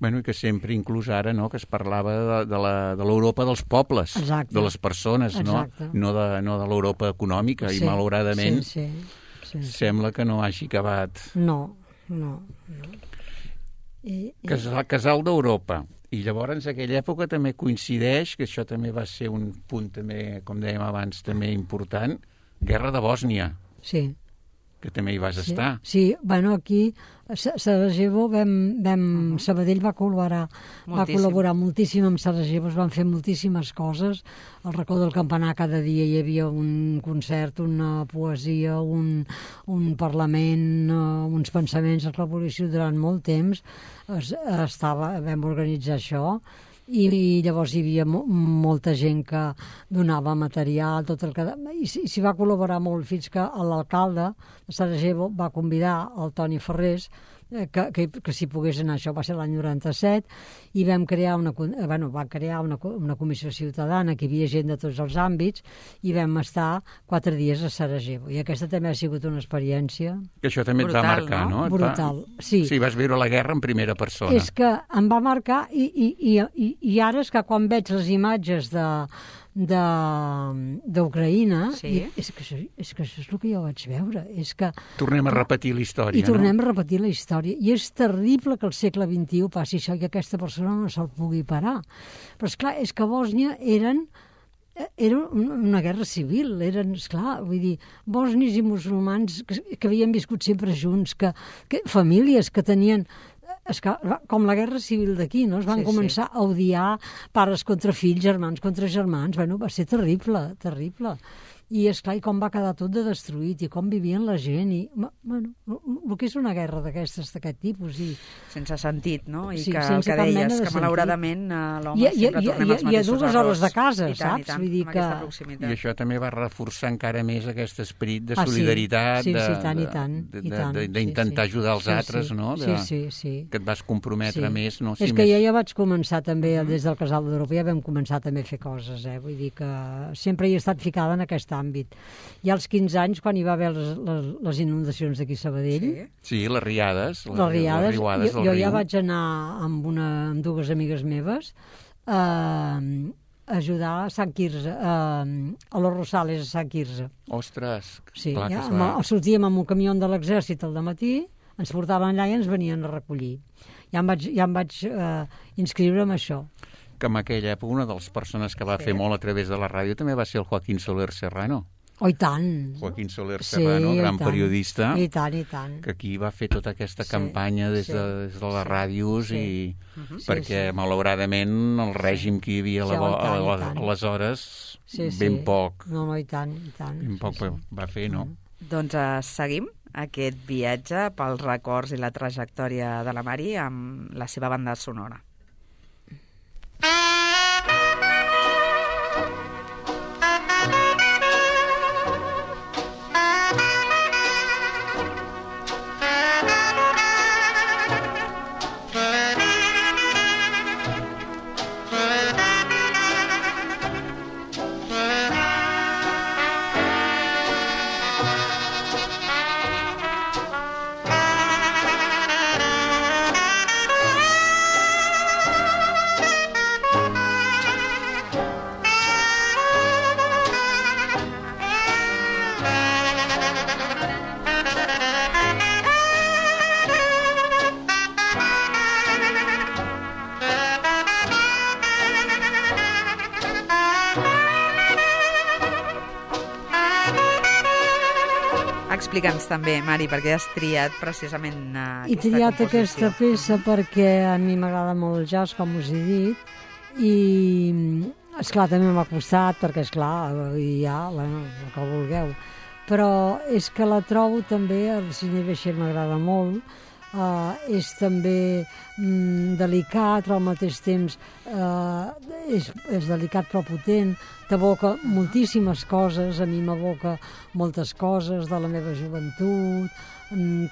D: Bueno, i que sempre, inclús ara, no?, que es parlava de, de l'Europa de dels pobles, exacte. De les persones, exacte. no? No de, no de l'Europa econòmica, sí, i malauradament
F: sí, sí, sí, sí.
D: sembla que no hagi acabat.
F: No, no. no.
D: I, i... Casal, Casal d'Europa. I llavors, en aquella època també coincideix, que això també va ser un punt també, com dèiem abans, també important, Guerra de Bòsnia.
F: Sí.
D: Que també hi vas
F: sí,
D: estar.
F: Sí, bueno, aquí a Sarajevo vam, vam, uh-huh. Sabadell va col·laborar, moltíssim. va col·laborar moltíssim amb Sarajevo, es van fer moltíssimes coses. Al racó del campanar cada dia hi havia un concert, una poesia, un, un parlament, uh, uns pensaments, la revolució durant molt temps. Es, estava, vam organitzar això. I, i llavors hi havia mo molta gent que donava material, tot el que... I s'hi va col·laborar molt fins que l'alcalde de Sarajevo va convidar el Toni Ferrés que, que, que s'hi pogués anar. Això va ser l'any noranta-set i vam crear una, bueno, va crear una, una comissió ciutadana, que hi havia gent de tots els àmbits, i vam estar quatre dies a Sarajevo. I aquesta també ha sigut una experiència...
D: Que això també brutal, et va marcar, no? no?
F: Brutal,
D: va...
F: sí.
D: Sí, vas viure la guerra en primera persona.
F: És que em va marcar i, i, i, i, i ara és que quan veig les imatges de... d'Ucraïna, sí. és, que això, és que això és el que jo vaig veure. És que,
D: tornem a repetir la història,
F: I tornem
D: no?
F: a repetir la història. I és terrible que al segle vint-i-u passi això i que aquesta persona no se'l pugui parar. Però, esclar, és que a Bòsnia eren era una guerra civil, eren, esclar, vull dir, bosnis i musulmans que, que havien viscut sempre junts, que, que famílies que tenien... És que, com la guerra civil d'aquí, no? Es van sí, començar sí. a odiar pares contra fills, germans contra germans. Bueno, va ser terrible, terrible. I, esclar, i com va quedar tot de destruït, i com vivien la gent, i, bueno, el que és una guerra d'aquestes, d'aquest tipus. I...
C: Sense sentit, no? I
F: sí,
C: que el que deies, que malauradament l'home sempre tornem als mateixos errors.
F: I a dues hores de casa,
C: I tant,
F: saps?
C: I tant,
F: Vull dir que...
D: I això també va reforçar encara més aquest esperit de solidaritat,
F: ah, sí. Sí, sí, tant, i tant,
D: d'intentar
F: sí, sí.
D: ajudar els
F: sí,
D: altres,
F: sí.
D: no? De,
F: sí, sí, sí.
D: Que et vas comprometre
F: sí.
D: més, no?
F: És
D: Si
F: que
D: més...
F: ja, ja vaig començar també, uh-huh. des del Casal d'Europa, ja vam començar també a fer coses, eh? Vull dir que sempre hi he estat ficada en aquest àmbit. I als quinze anys, quan hi va haver les, les, les inundacions d'aquí a Sabadell...
D: Sí, sí les riades.
F: Les, les riades.
D: Les jo,
F: jo
D: ja
F: vaig anar amb, una, amb dues amigues meves eh, ajudar a Sant Quirze, a, a los Rosales, a Sant Quirze.
D: Ostres,
F: sí,
D: clar que
F: ja,
D: es va...
F: sortíem amb un camió de l'exèrcit al dematí, ens portaven allà i ens venien a recollir. Ja em vaig, ja em vaig eh, inscriure en això.
D: Que en aquella època una de les persones que va sí. fer molt a través de la ràdio també va ser el Joaquín Soler Serrano.
F: Oh, i tant.
D: Joaquín Soler Serrano,
F: sí,
D: gran
F: tant.
D: periodista,
F: I tant, i tant.
D: que aquí va fer tota aquesta
F: sí,
D: campanya des de,
F: sí,
D: des de les ràdios
F: sí.
D: i
F: uh-huh.
D: perquè,
F: sí, sí.
D: malauradament, el règim que hi havia
F: sí,
D: a
F: tant,
D: la, a aleshores,
F: sí, sí.
D: ben poc,
F: no, no, i tant, i tant.
D: ben poc
F: sí, sí.
D: va fer, no?
C: Uh-huh. Doncs uh, seguim aquest viatge pels records i la trajectòria de la Mari amb la seva banda sonora. Explica'ns també, Mari, perquè has triat precisament uh, aquesta
F: He triat
C: composició.
F: aquesta peça perquè a mi m'agrada molt el jazz, com us he dit, i esclar, també m'ha costat, perquè esclar, hi ha, bueno, el que vulgueu, però és que la trobo també, el Sidney Bechet m'agrada molt, uh, és també mm, delicat, però al mateix temps uh, és, és delicat però potent, t'evoca moltíssimes coses, a mi m'evoca moltes coses de la meva joventut,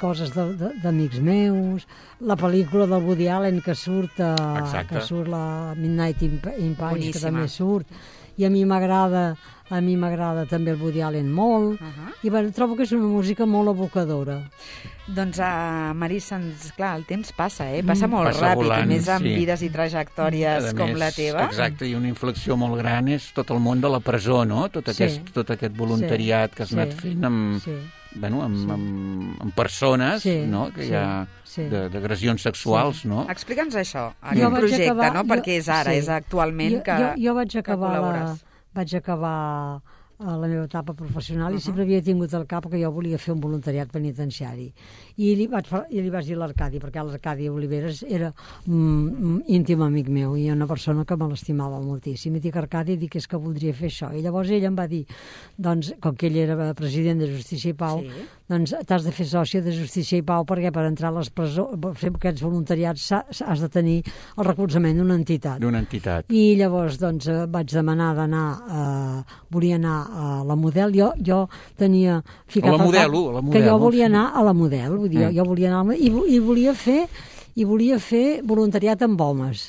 F: coses d'amics meus, la pel·lícula del Woody Allen que surt, a, que surt la Midnight in, in Paris, que també surt, i a mi m'agrada a mi m'agrada també el Woody Allen molt, uh-huh. i bueno, trobo que és una música molt evocadora.
C: Doncs, uh, Marissa, clar, el temps passa, eh? Passa molt
D: passa
C: ràpid,
D: volant,
C: i més amb
D: sí.
C: vides i trajectòries com
D: més,
C: la teva.
D: Exacte, i una inflexió molt gran és tot el món de la presó, no? Tot aquest, sí. tot aquest voluntariat sí. que has sí. anat fent amb, sí. bueno, amb, sí. amb, amb persones sí. no? que sí. hi ha sí. d'agressions sexuals, sí. no?
C: Explica'ns això, aquest projecte, acabar, no? Perquè és ara, sí. és actualment
F: jo,
C: que,
F: jo, jo vaig acabar
C: que
F: la, vaig acabar a la meva etapa professional uh-huh. i sempre havia tingut al cap que jo volia fer un voluntariat penitenciari. I li vaig, i li vaig dir a l'Arcadi, perquè l'Arcadi Oliveres era mm, íntim amic meu i una persona que me l'estimava moltíssim. I dic, Arcadi, dic, és que voldria fer això. I llavors ell em va dir, doncs, com que ell era president de Justícia i Pau, sí. doncs t'has de fer sòcia de Justícia i Pau perquè per entrar a les presó, per fer aquests voluntariats has de tenir el recolzament d'una entitat.
D: D'una entitat.
F: I llavors, doncs, vaig demanar d'anar, eh, volia anar a la Model, jo, jo tenia ficat
D: a la Model,
F: cap,
D: a la Model,
F: que jo volia anar a la Model, vull dir, mm. jo volia anar i, i volia fer i volia fer voluntariat amb homes.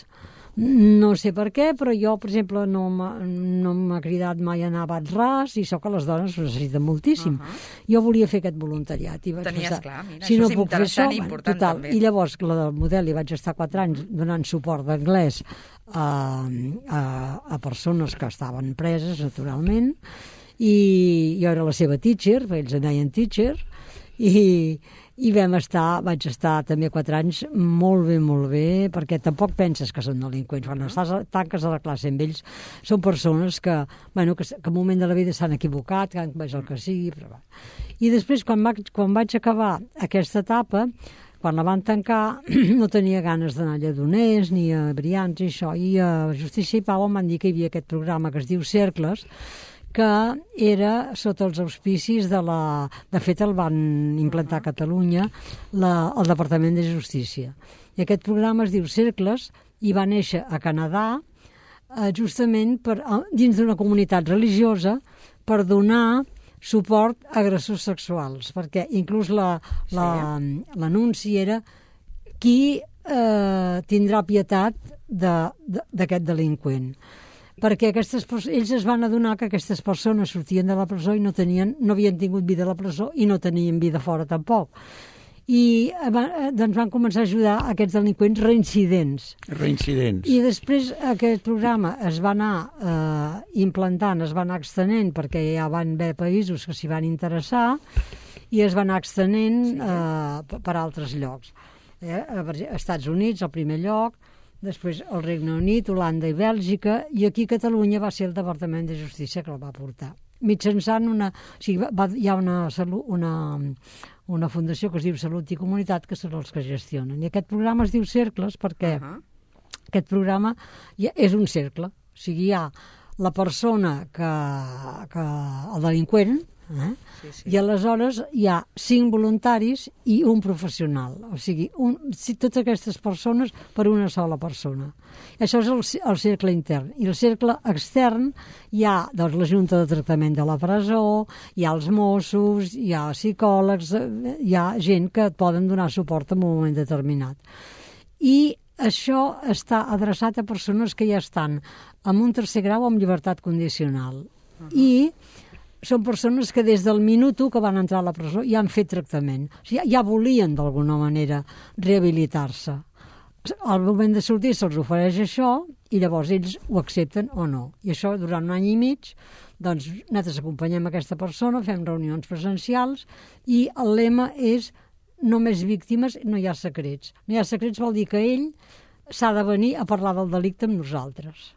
F: No sé per què, però jo, per exemple, no m'ha no cridat mai a anar a Bat Ras i so que les dones ho necessiten moltíssim. Uh-huh. Jo volia fer aquest voluntariat. I vaig
C: Tenies
F: pensar,
C: clar, mira,
F: si
C: això
F: no
C: és
F: puc fer això,
C: interessant i important
F: total.
C: també.
F: I llavors, la del Model, hi vaig estar quatre anys donant suport d'anglès a, a, a persones que estaven preses, naturalment, i jo era la seva teacher, ells en deien teacher, i, i vam estar, vaig estar també quatre anys molt bé, molt bé, perquè tampoc penses que són delinqüents. Quan estàs, tanques a la classe amb ells, són persones que, bueno, que, que en un moment de la vida s'han equivocat, que han comès el que sigui, però... I després, quan vaig, quan vaig acabar aquesta etapa, quan la van tancar, no tenia ganes d'anar a Lledoners, ni a Brians i això, i a Justícia i Pau em van dir que hi havia aquest programa que es diu Cercles, que era sota els auspicis de la... De fet, el van implantar a Catalunya la, el Departament de Justícia. I aquest programa es diu Cercles i va néixer a Canadà eh, justament per, dins d'una comunitat religiosa per donar suport a agressors sexuals, perquè inclús la, la, sí. l'anunci era qui eh, tindrà pietat d'aquest de, delinqüent. Perquè aquestes, ells es van adonar que aquestes persones sortien de la presó i no, tenien, no havien tingut vida a la presó i no tenien vida fora tampoc. i doncs van començar a ajudar aquests delinqüents reincidents.
D: Reincidents.
F: I després aquest programa es va anar eh, implantant, es va anar extenent, perquè ja van haver països que s'hi van interessar, i es va anar extenent sí. eh, per altres llocs. Eh? Estats Units, al primer lloc, després el Regne Unit, Holanda i Bèlgica, i aquí Catalunya va ser el Departament de Justícia que el va portar. Mitjançant una... O sigui, va, hi ha una, una, una fundació que es diu Salut i Comunitat, que són els que gestionen. I aquest programa es diu Cercles perquè uh -huh. aquest programa ja és un cercle. O sigui, hi ha la persona que... que el delinqüent, eh? sí, sí. i aleshores hi ha cinc voluntaris i un professional. O sigui, un, si, totes aquestes persones per una sola persona. Això és el, el cercle intern. I el cercle extern hi ha doncs, la Junta de Tractament de la Presó, hi ha els Mossos, hi ha psicòlegs, hi ha gent que et poden donar suport en un moment determinat. I això està adreçat a persones que ja estan en un tercer grau amb llibertat condicional. Uh-huh. I són persones que des del minut u que van entrar a la presó ja han fet tractament. O sigui, ja volien d'alguna manera rehabilitar-se. Al moment de sortir se'ls ofereix això i llavors ells ho accepten o no. I això durant un any i mig, doncs nosaltres acompanyem aquesta persona, fem reunions presencials i el lema és només víctimes, no hi ha secrets. No hi ha secrets vol dir que ell s'ha de venir a parlar del delicte amb nosaltres.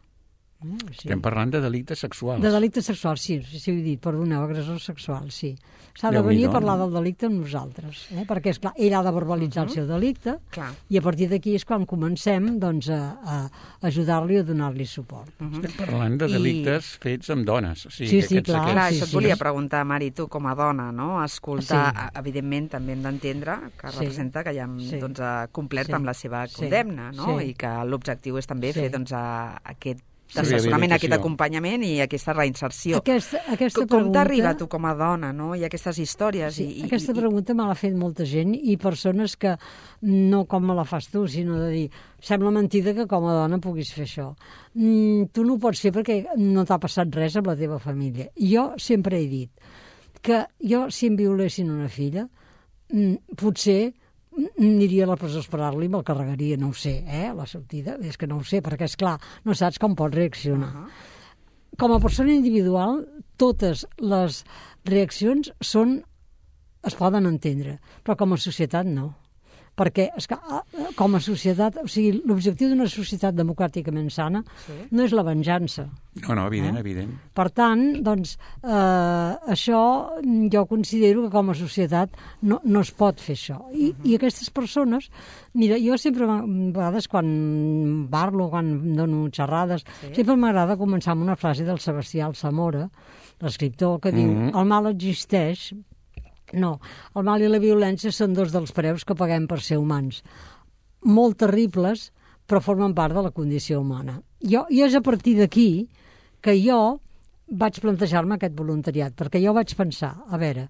D: Eh? Sí. Estem parlant de delictes sexuals.
F: De delictes sexuals, sí, sí, ho he dit, perdoneu, agressor sexual, sí. S'ha de venir a parlar del delicte amb nosaltres, eh? perquè, esclar, ell ha de verbalitzar uh -huh. el seu delicte clar. I a partir d'aquí és quan comencem doncs, a, a ajudar-li a donar-li suport.
D: Uh -huh. Estem parlant de delictes I... fets amb dones. O sigui,
F: sí,
D: que
F: sí, clar.
C: clar
F: sí,
C: això et
F: sí.
C: volia preguntar, Mari, tu com a dona, no? Escoltar, sí. evidentment, també hem d'entendre que sí. representa que ja hem sí. doncs, complert sí. amb la seva condemna, no?
F: Sí.
C: I que l'objectiu és també sí. fer doncs, a, aquest d'assessorament,
D: sí,
C: aquest acompanyament i aquesta reinserció.
F: Aquesta, aquesta
C: com
F: pregunta...
C: t'arriba tu com a dona, no? I aquestes històries.
F: Sí,
C: i,
F: aquesta
C: i,
F: pregunta me l'ha fet molta gent i persones que no com me la fas tu, sinó de dir sembla mentida que com a dona puguis fer això. Mm, tu no ho pots fer perquè no t'ha passat res amb la teva família. I jo sempre he dit que jo, si em violessin una filla, mm, potser aniria a la presó a esperar-li i me'l carregaria, no ho sé, eh, la sortida, és que no ho sé, perquè, és clar, no saps com pot reaccionar. Uh-huh. Com a persona individual, totes les reaccions són, es poden entendre, però com a societat no. Perquè, és que, com a societat, o sigui, l'objectiu d'una societat democràticament sana sí. no és la venjança.
D: No, no, evident,
F: eh?
D: evident.
F: Per tant, doncs, eh, això jo considero que com a societat no, no es pot fer això. I, uh-huh. I aquestes persones, mira, jo sempre, a vegades, quan parlo, quan dono xerrades, sí. sempre m'agrada començar amb una frase del Sebastià Alsamora, l'escriptor, que diu, uh-huh. el mal existeix. No, el mal i la violència són dos dels preus que paguem per ser humans. Molt terribles, però formen part de la condició humana. Jo, I és a partir d'aquí que jo vaig plantejar-me aquest voluntariat, perquè jo vaig pensar, a veure,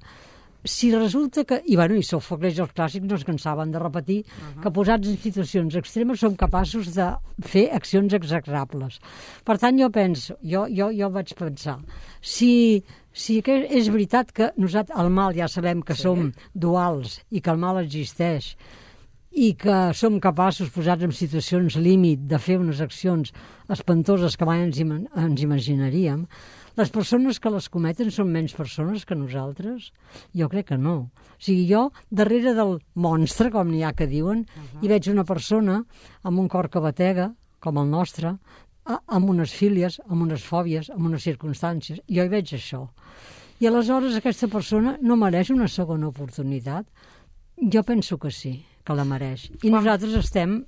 F: si resulta que, i bueno, i Sòfocles i els clàssics no es cansaven de repetir, uh-huh. que posats en situacions extremes som capaços de fer accions execrables. Per tant, jo penso, jo, jo, jo vaig pensar, si... Sí que és veritat que nosaltres, el mal ja sabem que sí. som duals i que el mal existeix i que som capaços, posats en situacions límit, de fer unes accions espantoses que mai ens, im ens imaginaríem, les persones que les cometen són menys persones que nosaltres? Jo crec que no. O sigui, jo, darrere del monstre, com n'hi ha que diuen, uh-huh. hi veig una persona amb un cor que batega, com el nostre, amb unes fílies, amb unes fòbies, amb unes circumstàncies. Jo hi veig això. I aleshores aquesta persona no mereix una segona oportunitat? Jo penso que sí, que la mereix. I nosaltres estem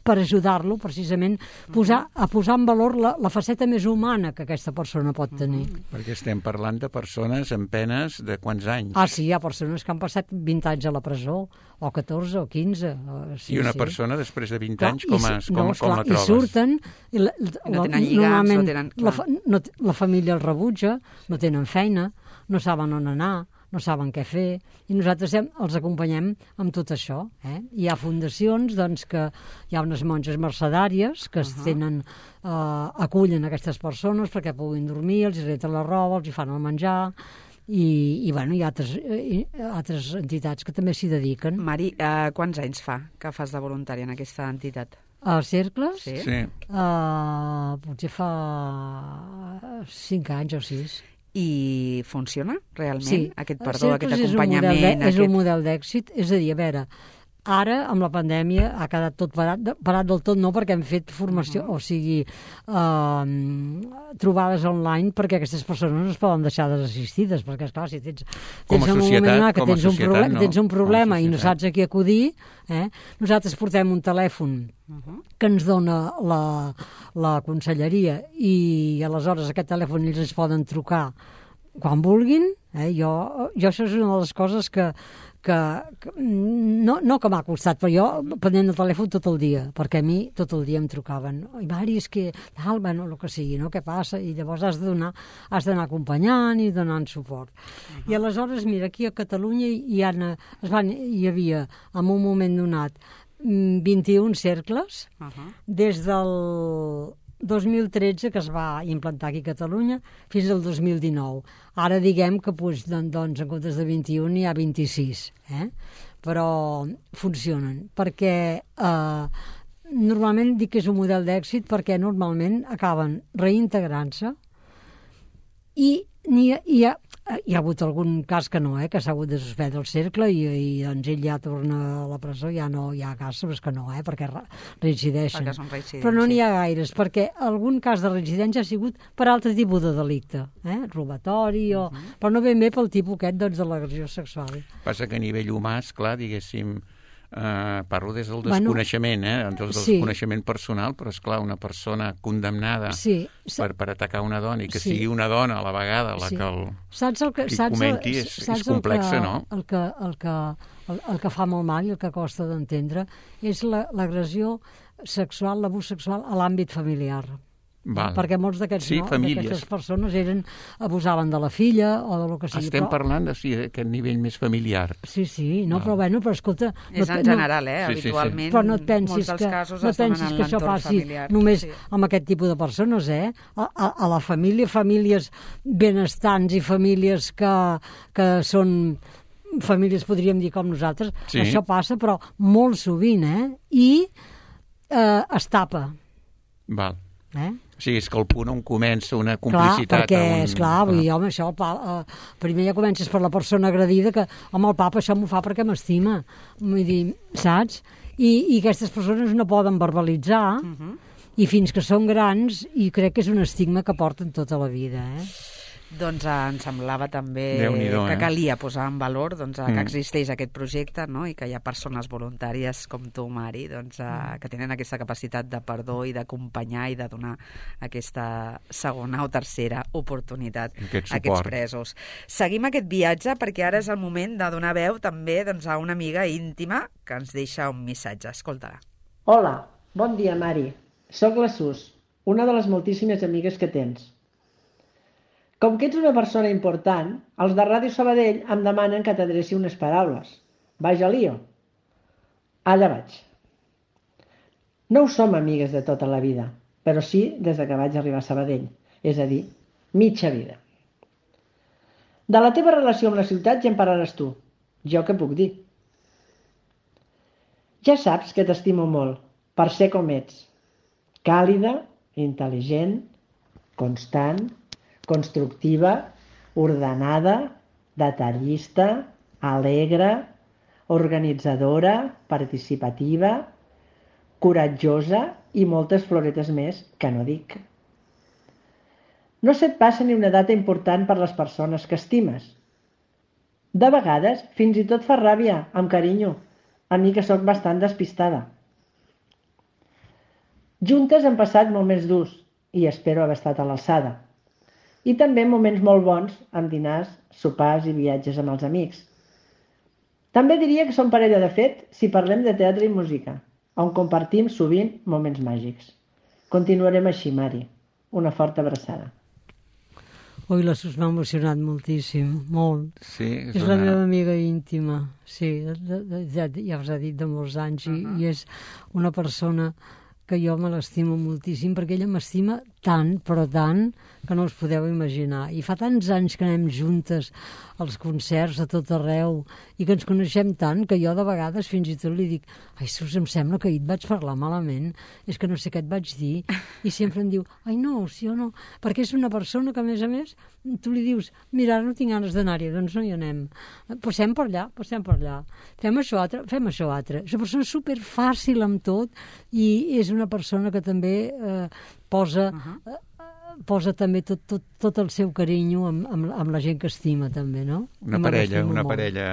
F: per ajudar-lo, precisament, posar, a posar en valor la, la faceta més humana que aquesta persona pot tenir.
D: Uh-huh. Perquè estem parlant de persones amb penes de quants anys?
F: Ah, sí, hi ha persones que han passat vint anys a la presó, o catorze, o quinze. Sí,
D: I una
F: sí.
D: persona, després de vint
F: clar,
D: anys, com, es, com,
F: no,
D: com
F: clar,
D: la trobes?
F: I surten... I la,
C: no tenen lligams, no tenen...
F: La, fa, no, la família els rebutja, no tenen feina, no saben on anar, no saben què fer, i nosaltres hem, els acompanyem amb tot això. Eh? Hi ha fundacions, doncs, que hi ha unes monges mercedàries que uh-huh. tenen, eh, acullen aquestes persones perquè puguin dormir, els reten la roba, els hi fan el menjar, i, i bueno, hi ha altres, eh, altres entitats que també s'hi dediquen.
C: Mari, eh, quants anys fa que fas de voluntària en aquesta entitat?
F: Els cercles?
C: Sí.
D: Sí.
F: Uh, potser fa cinc anys o sis.
C: I funciona realment?
F: Sí.
C: Aquest perdó, aquest
F: Cercles
C: acompanyament?
F: És un model, de,
C: aquest...
F: és un model d'èxit. És a dir, a veure, ara, amb la pandèmia, ha quedat tot parat, parat del tot, no perquè hem fet formació, uh -huh. o sigui, uh, trobades online perquè aquestes persones no es poden deixar desassistides, perquè, esclar, si tens, tens
D: a
F: un
D: societat,
F: moment que
D: com a
F: tens un,
D: societat,
F: proble
D: no.
F: tens un problema i no
D: societat.
F: saps a qui acudir, eh? Nosaltres portem un telèfon uh -huh. que ens dona la, la conselleria i aleshores aquest telèfon ells ens poden trucar quan vulguin. Eh? Jo, jo això és una de les coses que que, que no, no que m'ha costat, però jo prenent el telèfon tot el dia, perquè a mi tot el dia em trucaven. Oi, Mari, és que tal, bueno, el que sigui, no? Què passa? I llavors has de donar, has d'anar acompanyant i donant suport. Uh -huh. I aleshores, mira, aquí a Catalunya hi, ha, es van, hi havia, en un moment donat, vint-i-un cercles, uh -huh. des del dos mil tretze, que es va implantar aquí a Catalunya, fins al dos mil dinou. Ara diguem que doncs, doncs, en comptes de vint-i-un hi ha vint-i-sis, eh? Però funcionen, perquè eh, normalment dic que és un model d'èxit perquè normalment acaben reintegrant-se i hi ha, hi, ha, hi ha hagut algun cas que no, eh, que s'ha hagut de suspendre el cercle i, i doncs ell ja torna a la presó, ja no hi ha cas, però és que no, eh, perquè reincideixen.
C: Perquè són reincidents,
F: però no n'hi
C: sí.
F: ha gaires, perquè algun cas de reincidència ha sigut per altre tipus de delicte, eh, robatori, o... Uh -huh. però no ben bé pel tipus aquest doncs, de l'agressió sexual.
D: Passa que a nivell humà, esclar, diguéssim, Uh, parlo des del desconeixement, bueno, eh? Des del
F: sí.
D: desconeixement personal, però, esclar, una persona condemnada
F: sí.
D: per, per atacar una dona i que
F: sí.
D: sigui una dona a la vegada la
F: sí.
D: que el
F: saps el que,
D: qui
F: saps
D: comenti
F: el,
D: és,
F: saps
D: és complexa,
F: el que,
D: no?
F: El que, el, que, el, el que fa molt mal i el que costa d'entendre és l'agressió la, sexual, l'abús sexual a l'àmbit familiar.
D: Val.
F: Perquè molts d'aquests
D: sí,
F: no, d'aquestes persones eren, abusaven de la filla o de lo que sigui.
D: Estem
F: però...
D: parlant de sí, aquest nivell més familiar.
F: Sí, sí, no, però bueno, però escolta...
C: És
F: no,
C: en general, eh?
F: No,
C: habitualment,
F: sí, sí. Però no et pensis
C: molts dels
F: que,
C: casos
F: no
C: es donen
F: pensis
C: en
F: que això
C: l'entorn
F: passi
C: familiar.
F: només
C: sí.
F: amb aquest tipus de persones, eh? A, a, a la família, famílies benestants i famílies que, que són... famílies, podríem dir, com nosaltres,
D: sí.
F: Això passa, però molt sovint, eh? I eh, es tapa.
D: Val.
F: Eh?
D: Sí, és que el punt on comença una complicitat...
F: Clar, perquè,
D: un...
F: esclar, vull dir, home, això, el pa, eh, primer ja comences per la persona agredida, que, home, el papa això m'ho fa perquè m'estima, vull dir, saps? I, i aquestes persones no poden verbalitzar, uh -huh. i fins que són grans, i crec que és un estigma que porten tota la vida, eh?
C: Doncs eh, em semblava també que
D: eh?
C: calia posar en valor doncs, eh,
D: mm.
C: que existeix aquest projecte, no? I que hi ha persones voluntàries com tu, Mari, doncs, eh, mm. que tenen aquesta capacitat de perdó i d'acompanyar i de donar aquesta segona o tercera oportunitat
D: aquest
C: a aquests presos. Seguim aquest viatge perquè ara és el moment de donar veu també doncs, a una amiga íntima que ens deixa un missatge. Escolta-la.
K: Hola, bon dia, Mari. Soc la Sus, una de les moltíssimes amigues que tens. Com que ets una persona important, els de Ràdio Sabadell em demanen que t'adreci unes paraules. Vaja lío. Allà vaig. No ho som amigues de tota la vida, però sí des de que vaig arribar a Sabadell, és a dir, mitja vida. De la teva relació amb la ciutat ja en parlaràs tu. Jo què puc dir? Ja saps que t'estimo molt, per ser com ets. Càlida, intel·ligent, constant, constructiva, ordenada, detallista, alegre, organitzadora, participativa, coratjosa i moltes floretes més que no dic. No se't passa ni una data important per les persones que estimes. De vegades fins i tot fa ràbia, amb carinyo, a mi que sóc bastant despistada. Juntes hem passat moments durs i espero haver estat a l'alçada. I també moments molt bons amb dinars, sopars i viatges amb els amics. També diria que som parella de fet si parlem de teatre i música, on compartim sovint moments màgics. Continuarem així, Mari. Una forta abraçada.
F: Ui, la Sus m'ha emocionat moltíssim, molt.
D: Sí, és,
F: és
D: una...
F: la meva amiga íntima, sí, de, de, ja, ja us ha dit de molts anys, i, uh -huh. i és una persona que jo me l'estimo moltíssim, perquè ella m'estima tant, però tant, que no us podeu imaginar. I fa tants anys que anem juntes als concerts a tot arreu i que ens coneixem tant que jo de vegades fins i tot li dic ai, sus, em sembla que ahir et vaig parlar malament, és que no sé què et vaig dir, i sempre em diu, ai no, si jo no, perquè és una persona que a més a més tu li dius, mira, no tinc ganes d'anar-hi, doncs no hi anem, passem per allà, passem per allà, fem això altre, fem això altre. És una persona superfàcil amb tot i és una persona que també eh, posa... Uh-huh. eh, posa també tot, tot, tot el seu carinyo amb, amb, amb la gent que estima, també, no?
D: Una parella, una molt. parella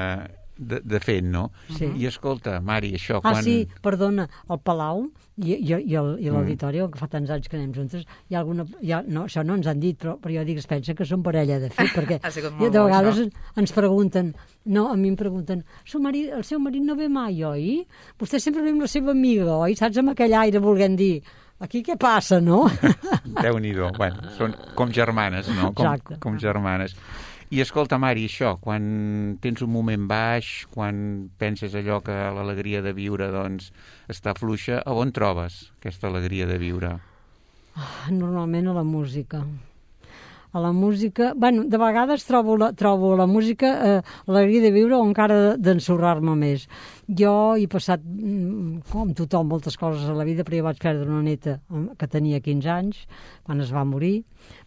D: de, de fet, no?
F: Sí.
D: I escolta, Mari, això...
F: Ah,
D: quan...
F: sí, perdona, el Palau i, i, i l'auditori, mm. que fa tants anys que anem juntes, hi ha alguna... Hi ha, no, això no ens han dit, però, però jo dic, es pensa que són parella, de fet, perquè de vegades bo, ens pregunten, no, a mi em pregunten, seu marit, el seu marit no ve mai, oi? Vostè sempre ve amb la seva amiga, oi? Saps, amb aquell aire volent dir... Aquí què passa, no?
D: Déu-n'hi-do. Bueno, són com germanes, no? Com,
F: Exacte.
D: Com germanes. I escolta, Mari, això, quan tens un moment baix, quan penses allò que l'alegria de viure, doncs, està fluixa, a on trobes aquesta alegria de viure?
F: Normalment a la música. A la música... Bueno, de vegades trobo la, trobo la música eh, l'alegria de viure o encara d'ensorrar-me més. Jo he passat, com tothom, moltes coses a la vida, però jo vaig perdre una neta que tenia quinze anys, quan es va morir,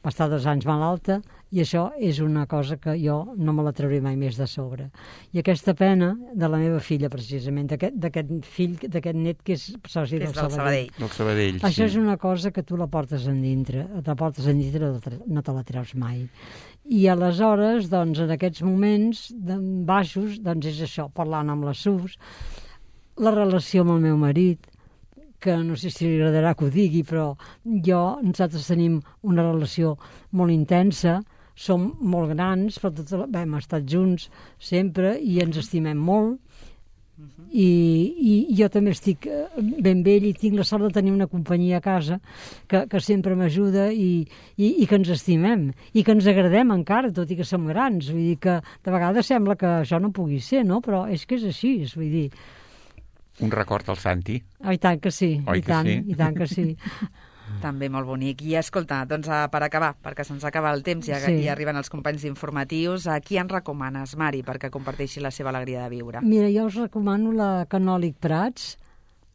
F: va estar dos anys malalta, i això és una cosa que jo no me la trauré mai més de sobre. I aquesta pena de la meva filla, precisament, d'aquest fill, d'aquest net que és soci del Sabadell.
D: Del Sabadell, sí.
F: Això és una cosa que tu la portes endintre, te la portes endintre, no te la treus mai. I aleshores, doncs, en aquests moments baixos, doncs és això, parlant amb la Sus, la relació amb el meu marit, que no sé si li agradarà que ho digui, però jo, nosaltres tenim una relació molt intensa, som molt grans, però tot, bé, hem estat junts sempre i ens estimem molt, uh-huh. I, i jo també estic ben vell i tinc la sort de tenir una companyia a casa que, que sempre m'ajuda i, i, i que ens estimem i que ens agradem encara, tot i que som grans. Vull dir que de vegades sembla que això no pugui ser, no? Però és que és així, vull dir...
D: Un record al Santi?
F: Oh, i tant que sí,
D: Oi
F: i tant,
D: sí?
F: i tant que sí.
C: També molt bonic. I escolta, doncs per acabar, perquè se'ns acaba el temps i, sí. i arriben els companys informatius, a qui en recomanes, Mari, perquè comparteixi la seva alegria de viure?
F: Mira, jo us recomano la Canòlic Prats,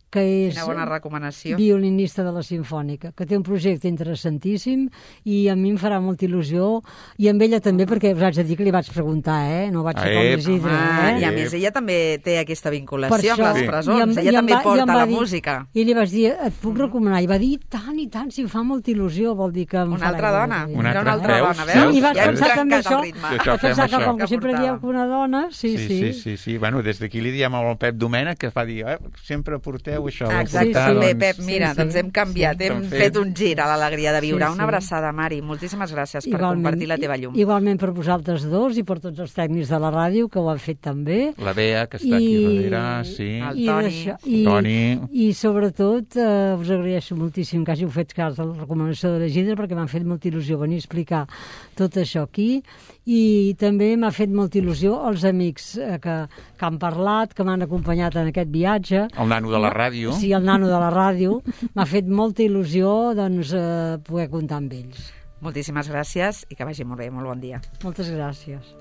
F: que és
C: Quina bona recomanació.
F: violinista de la Simfònica, que té un projecte interessantíssim i a mi em farà molta il·lusió, i amb ella també, perquè us haig de dir que li vaig preguntar, eh? No vaig ser com Isidre, eh?
C: I a més, ella també té aquesta vinculació
F: això,
C: amb les presons,
F: amb,
C: ella també
F: va,
C: porta la
F: dir,
C: música.
F: I li vaig dir, et puc recomanar? I va dir, tant i tant, si em fa molta il·lusió, vol dir que...
C: Una altra dona,
D: una altra,
C: una altra dona, veus?
F: Sí, i vaig
C: ja
F: pensar també això,
D: això
F: pensar que
D: això.
F: com que sempre dieu que una dona, sí,
D: sí.
F: Sí,
D: sí, sí, sí. Bueno, des d'aquí li diem al Pep Domènech que fa dir, eh, sempre porteu això.
C: Exacte.
F: Sí,
C: Bé,
F: doncs...
C: Pep, mira, sí, doncs hem canviat, sí, hem fet. fet un gir a l'alegria de viure.
F: Sí, sí.
C: Una abraçada, Mari. Moltíssimes gràcies per
F: igualment,
C: compartir la teva llum.
F: Igualment per vosaltres dos i per tots els tècnics de la ràdio que ho han fet també.
D: La Bea, que està I... aquí darrere, sí.
C: El
F: I
C: Toni.
F: I,
D: Toni.
F: I sobretot eh, us agraeixo moltíssim que hàgiu fet cas de la recomanació de l'Isidre, perquè m'han fet molta il·lusió venir a explicar tot això aquí, i també m'ha fet molta il·lusió els amics eh, que, que han parlat, que m'han acompanyat en aquest viatge.
D: El nano de la ràdio.
F: Sí, el nano de la ràdio. M'ha fet molta il·lusió doncs, eh, poder comptar amb ells.
C: Moltíssimes gràcies i que vagi molt bé, molt bon dia.
F: Moltes gràcies.